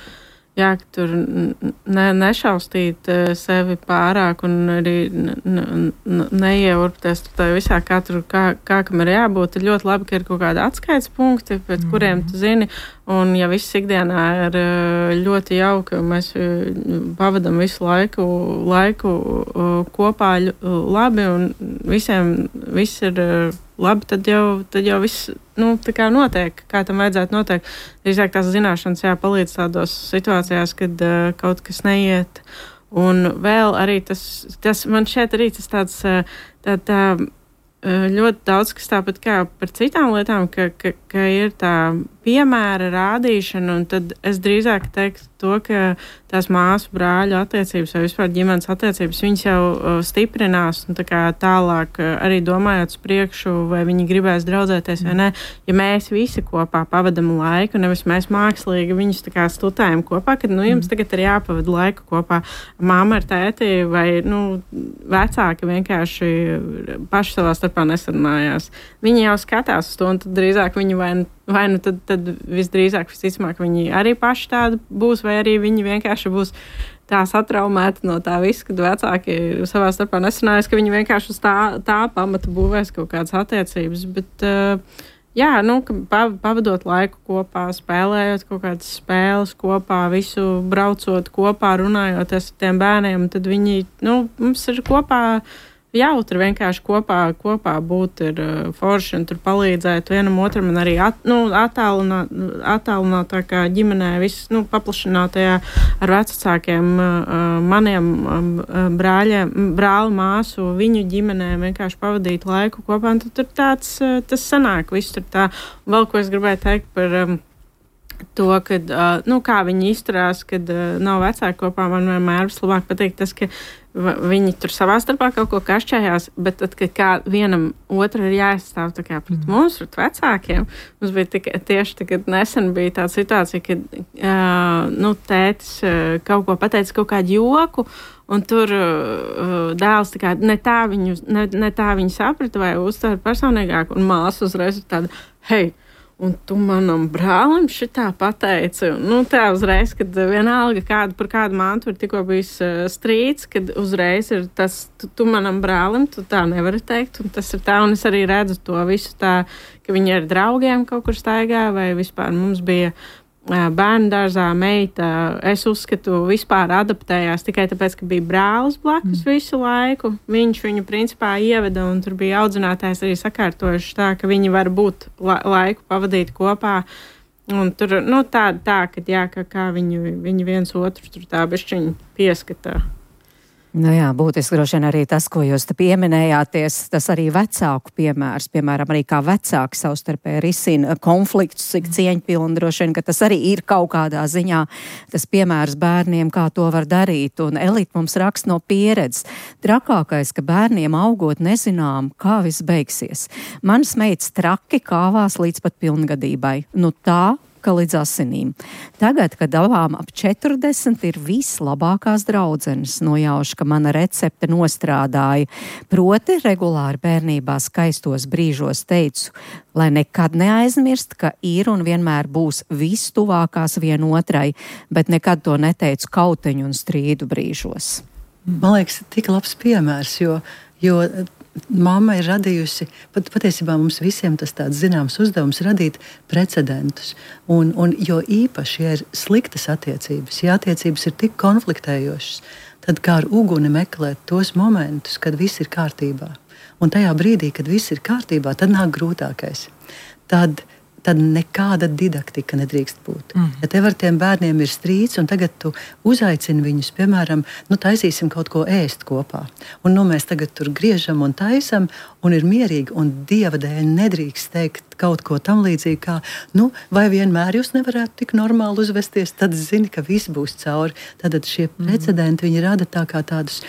jā, ka tur ne, nešaustīt sevi pārāk un arī neieurpties tā visā, kā, tur, kā, kā kam ir jābūt. Ir ļoti labi, ka ir kaut kādi atskaites punkti, pēc mm. kuriem tu zini, un ja viss ikdienā ir ļoti jauki, un mēs pavadam visu laiku, laiku kopā labi, un visiem viss ir labi, tad jau, tad jau viss nu, tā kā notiek, kā tam vajadzētu noteikt. Drīzāk tās zināšanas jāpalīdz tādos situācijās, kad uh, kaut kas neiet. Un vēl arī tas, tas man šeit arī tas tāds, tā, tā ļoti daudz, kas tāpat kā par citām lietām, ka, ka, ka ir tā piemēra rādīšana, un tad es drīzāk teiktu to, ka tās māsu brāļu attiecības vai vispār ģimenes attiecības, viņas jau uh, stiprinās, un tā kā tālāk uh, arī domājot uz priekšu, vai viņi gribēs draudzēties vai ne. Ja mēs visi kopā pavadam laiku, nevis mēs mākslīgi viņus tā kā stutējam kopā, kad, nu, jums tagad ir jāpavada laiku kopā mamma ar tēti, vai, nu, vecāki vienkārši paši savā starpā nesarunājās. Viņi jau skatās uz to, un tad drīzāk viņi vai Vai nu tad, tad visdrīzāk, visticamāk, viņi arī paši tādi būs, vai arī viņi vienkārši būs tā satraumēti no tā visa, kad vecāki savā starpā nesanājas, ka viņi vienkārši uz tā, tā pamata būvēs kaut kādas attiecības. Bet, uh, Jā, nu, pavadot laiku kopā, spēlējot kaut kādas spēles kopā, visu braucot kopā, runājot ar tiem bērniem, tad viņi, nu, mums ir kopā jautri vienkārši kopā, kopā būt ir uh, forši un tur palīdzēt vienam otram un arī at, nu, attālināt, attālinātākā ģimenē, viss, nu, paplašinātajā ar vecākiem uh, maniem uh, brāļiem, brāli, māsu, viņu ģimenēm vienkārši pavadīt laiku kopā, un tad tur tāds, uh, tas sanāk, viss tur tā. Un vēl, ko es gribēju teikt par um, to, kad, uh, nu, kā viņi izturās, kad uh, nav vecāki kopā, man vienmēr vislabāk patīk tas, ka viņi tur savā starpā kaut ko kašķējās, bet tad, kad kā vienam otru ir jāizstāv tā kā pret mums, pret vecākiem, mums bija tik, tieši tagad nesen bija tāda situācija, kad uh, nu, tētis uh, kaut ko pateica, kaut kādu joku, un tur uh, dēls tā kā ne tā viņu, ne, ne tā viņu saprata vai uztver personīgāk, un māsa uzreiz ir tāda, hei, un tu manam brālim šitā pateici. Nu, tā uzreiz, kad vienalga kādu par kādu mantu ir tikko bijis uh, strīds, kad uzreiz ir tas, tu, tu manam brālim, tu tā nevari teikt, un tas ir tā, un es arī redzu to visu tā, ka viņi ar draugiem kaut kur staigā, vai vispār mums bija uh, bērnu dārzā meita, es uzskatu, vispār adaptējās tikai tāpēc, ka bija brālis blakus mm. visu laiku. Viņš viņu principā ieveda, un tur bija audzinātājs arī sakārtojuši tā, ka viņi var būt la- laiku pavadīt kopā. Un tur, nu, tā, tā ka, jā, ka kā viņi, viņi viens otru tur tā bišķiņi pieskatā. Nu jā, būtiski droši vien arī tas, ko jūs te pieminējāties, tas arī vecāku piemērs, piemēram, arī kā vecāki savstarpēji risina konfliktus, cik cieņpilni droši vien, ka tas arī ir kaut kādā ziņā tas piemērs bērniem, kā to var darīt, un Elita mums raksta no pieredzes. Trakākais, ka bērniem augot nezinām, kā viss beigsies. Manas meitas traki kāvās līdz pat pilngadībai. Nu tā, ka līdz asinīm. Tagad, kad abām ap četrdesmit ir vislabākās draudzenes, nojaušu, ka mana recepte nostrādāja. Proti, regulāri bērnībā skaistos brīžos teicu, lai nekad neaizmirst, ka ir un vienmēr būs vistuvākās vienotrai, bet nekad to neteicu kauteņu un strīdu brīžos. Man liekas, tik labs piemērs, jo, jo mamma ir radījusi, pat, patiesībā mums visiem tas tāds zināms uzdevums radīt precedentus. Un, un jo īpaši, ja ir sliktas attiecības, ja attiecības ir tik konfliktējošas, tad kā ar uguni meklēt tos momentus, kad viss ir kārtībā. Un tajā brīdī, kad viss ir kārtībā, tad nāk grūtākais. Tad tad nekāda didaktika nedrīkst būt. Mm. Ja tev ar tiem bērniem ir strīds, un tagad tu uzaicini viņus, piemēram, nu taisīsim kaut ko ēst kopā. Un nu mēs tagad tur griežam un taisam, un ir mierīgi, un Dieva dēļ nedrīkst teikt kaut ko tam līdzīgi, kā, nu, vai vienmēr jūs nevarētu tik normāli uzvesties, tad zini, ka viss būs cauri. Tad šie precedenti, viņi rada tā kā tādus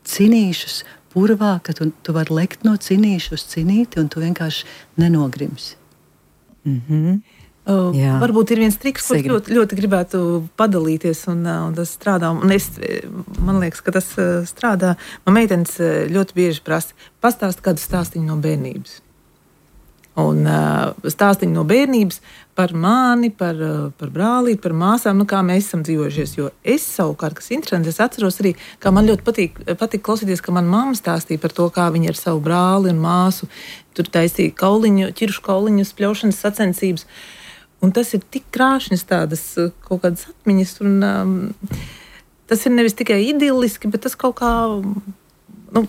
cinīšus purvā, ka tu, tu vari lekt no cinīšu uz cinīti, un tu vienkārši nenogrimsi. Mm-hmm. Uh, varbūt ir viens triks, ko ļoti, ļoti gribētu padalīties, un, un tas strādā. Un es, man liekas, ka tas strādā. Man meitenes ļoti bieži prasa, pastāst kādu stāstiņu no bērnības. Un uh, stāstiņu no bērnības par mani, par, par brālīti, par māsām, nu kā mēs esam dzīvojušies. Jo es savukārt, kas interesanti, es atceros arī, kā man ļoti patīk, patīk klausīties, ka man mamma stāstīja par to, kā viņa ar savu brāli un māsu tur taisīja kauliņu, ķiršu kauliņus, pļaušanas sacensības. Un tas ir tik krāšņas tādas kaut kādas atmiņas, un um, tas ir nevis tikai idilliski, bet tas kaut kā, nu,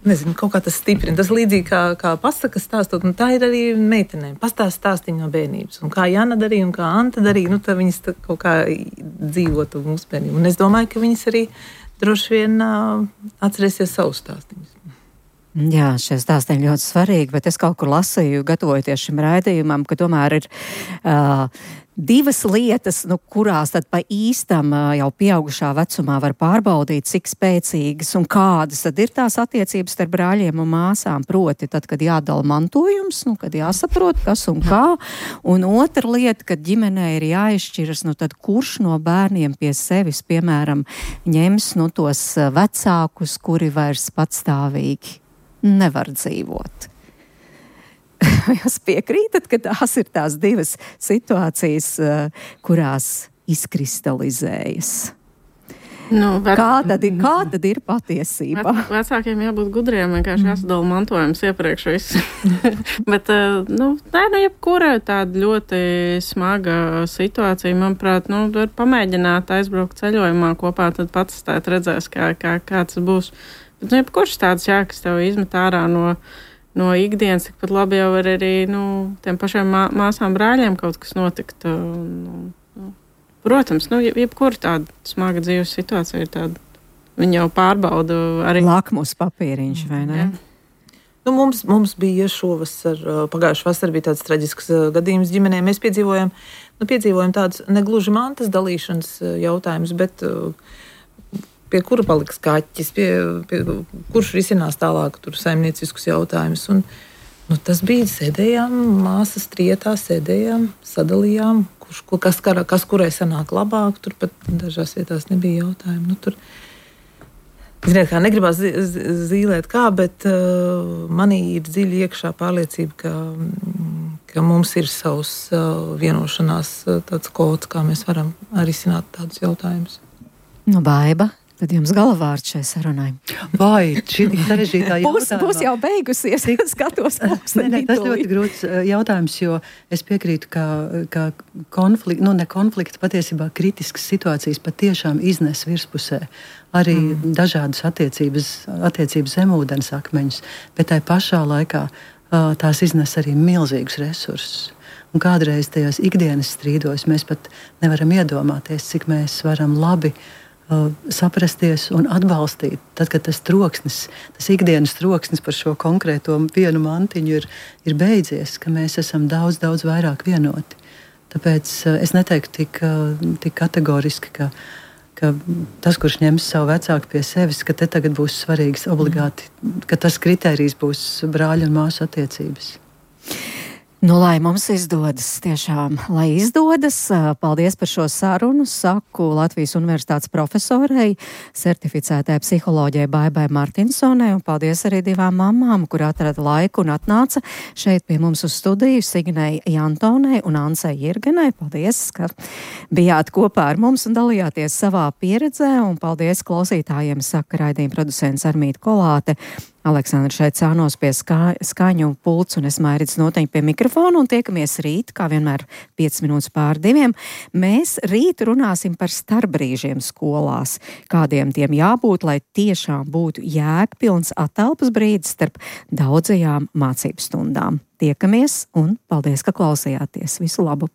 nezinu, kaut kā tas stiprina. Tas līdzīgi kā, kā pasakas stāstot, un tā ir arī meitenēm. Pastāst stāstiņu no bērnības. Un kā Jana darīja, un kā Anta darīja, nu, tad viņas tā kaut kā dzīvotu mūsu bērnību. Un es domāju, ka viņas arī droši vien uh, atcerēsies savus stāstiņus. Jā, šie stāstiņi ļoti svarīgi, bet es kaut kur lasīju, gatavojoties šim raidījumam, ka tomēr ir uh, divas lietas, nu, kurās tad pa īstam uh, jau pieaugušā vecumā var pārbaudīt, cik spēcīgas un kādas tad ir tās attiecības starp brāļiem un māsām. Proti, tad, kad jādala mantojums, nu, kad jāsaprot, kas un kā. Un otra lieta, kad ģimenē ir jāizšķiras, nu, tad kurš no bērniem pie sevis, piemēram, ņems, nu, tos vecākus, kuri vairs patstāvīgi nevar dzīvot. Jūs piekrītat, ka tās ir tās divas situācijas, kurās izkristalizējas? Nu, vec... kā, tad ir, kā tad ir patiesība? Vec, vecākiem jābūt gudriem, vienkārši jāsadala mantojums iepriekš visu. Bet, nu, nē, nu, jebkura tāda ļoti smaga situācija, manuprāt, nu, var pamēģināt aizbraukt ceļojumā kopā, tad pats tēt redzēs, kā, kā, kā tas būs. Bet, nu, jebkurš tāds, jā, kas tev izmet ārā no, no ikdienas, tikpat labi jau var arī, nu, tiem pašiem mā, māsām brāļiem kaut kas notikt. Nu, Protams, nu, jebkura tāda smaga dzīves situācija ir tāda, viņi jau pārbauda arī. Lakmus papīriņš, vai ne? Jā. Nu, mums, mums bija šovasar, pagājušā vasarā bija tāds traģisks gadījums ģimenē. Mēs piedzīvojam, nu, piedzīvojam tādus negluži mantas dalīšanas jautājumus, bet pie kura paliks kaķis, pie, pie, kurš risinās tālāk tur saimnieciskus jautājumus. Un, nu, tas bija, sēdējām, māsas trietā, sēdējām, sadalījām, kurš, kas, kas kurai sanāk labāk, tur pat dažās vietās nebija jautājumu. Nu, tur, ziniet, kā negribās zīlēt kā, bet uh, manī ir dziļi iekšā pārliecība, ka, ka mums ir savs uh, vienošanās uh, tāds kods, kā mēs varam risināt tādus jautājumus. Nu, Baiba. Tad jums galavārds šai sarunai. Vai šī sarežģītā jautājumā? Būs, būs jau beigusies, skatos. Nē, nē, tas ļoti grūts jautājums, jo es piekrītu, ka, ka konflikti, nu ne konflikti, patiesībā kritiskas situācijas patiešām iznes virspusē arī mm. dažādas attiecības, attiecības zemūdens akmeņus, bet tai pašā laikā tās iznes arī milzīgus resursus. Un kādreiz tajos ikdienas strīdos mēs pat nevaram iedomāties, cik mēs varam labi saprasties un atbalstīt. Tad, kad tas troksnis, tas ikdienas troksnis par šo konkrēto vienu mantiņu ir, ir beidzies, ka mēs esam daudz, daudz vairāk vienoti. Tāpēc es neteiktu tik, tik kategoriski, ka, ka tas, kurš ņems savu vecāku pie sevis, ka te tagad būs svarīgs obligāti, ka tas kritērijs būs brāļu un māsu attiecības. Nu, lai mums izdodas, tiešām, lai izdodas, paldies par šo sarunu, saku Latvijas Universitātes profesorei, certificētai psiholoģijai Baibai Martinsonai, un paldies arī divām mamām, kur atrada laiku un atnāca šeit pie mums uz studiju, Signei Jantonai un Ansei Jirgenai. Paldies, ka bijāt kopā ar mums un dalījāties savā pieredzē, un paldies klausītājiem, saka raidījuma producents Armīta Kolāte. Aleksandra šeit cānos pie skā, skaņu pults un es Mairits Noteņi pie mikrofona un tiekamies rīt, kā vienmēr piecas minūtes pār diviem. Mēs rīt runāsim par starpbrīžiem skolās, kādiem tiem jābūt, lai tiešām būtu jēgpilns atelpas brīdis starp daudzajām mācību stundām. Tiekamies un paldies, ka klausījāties. Visu labu!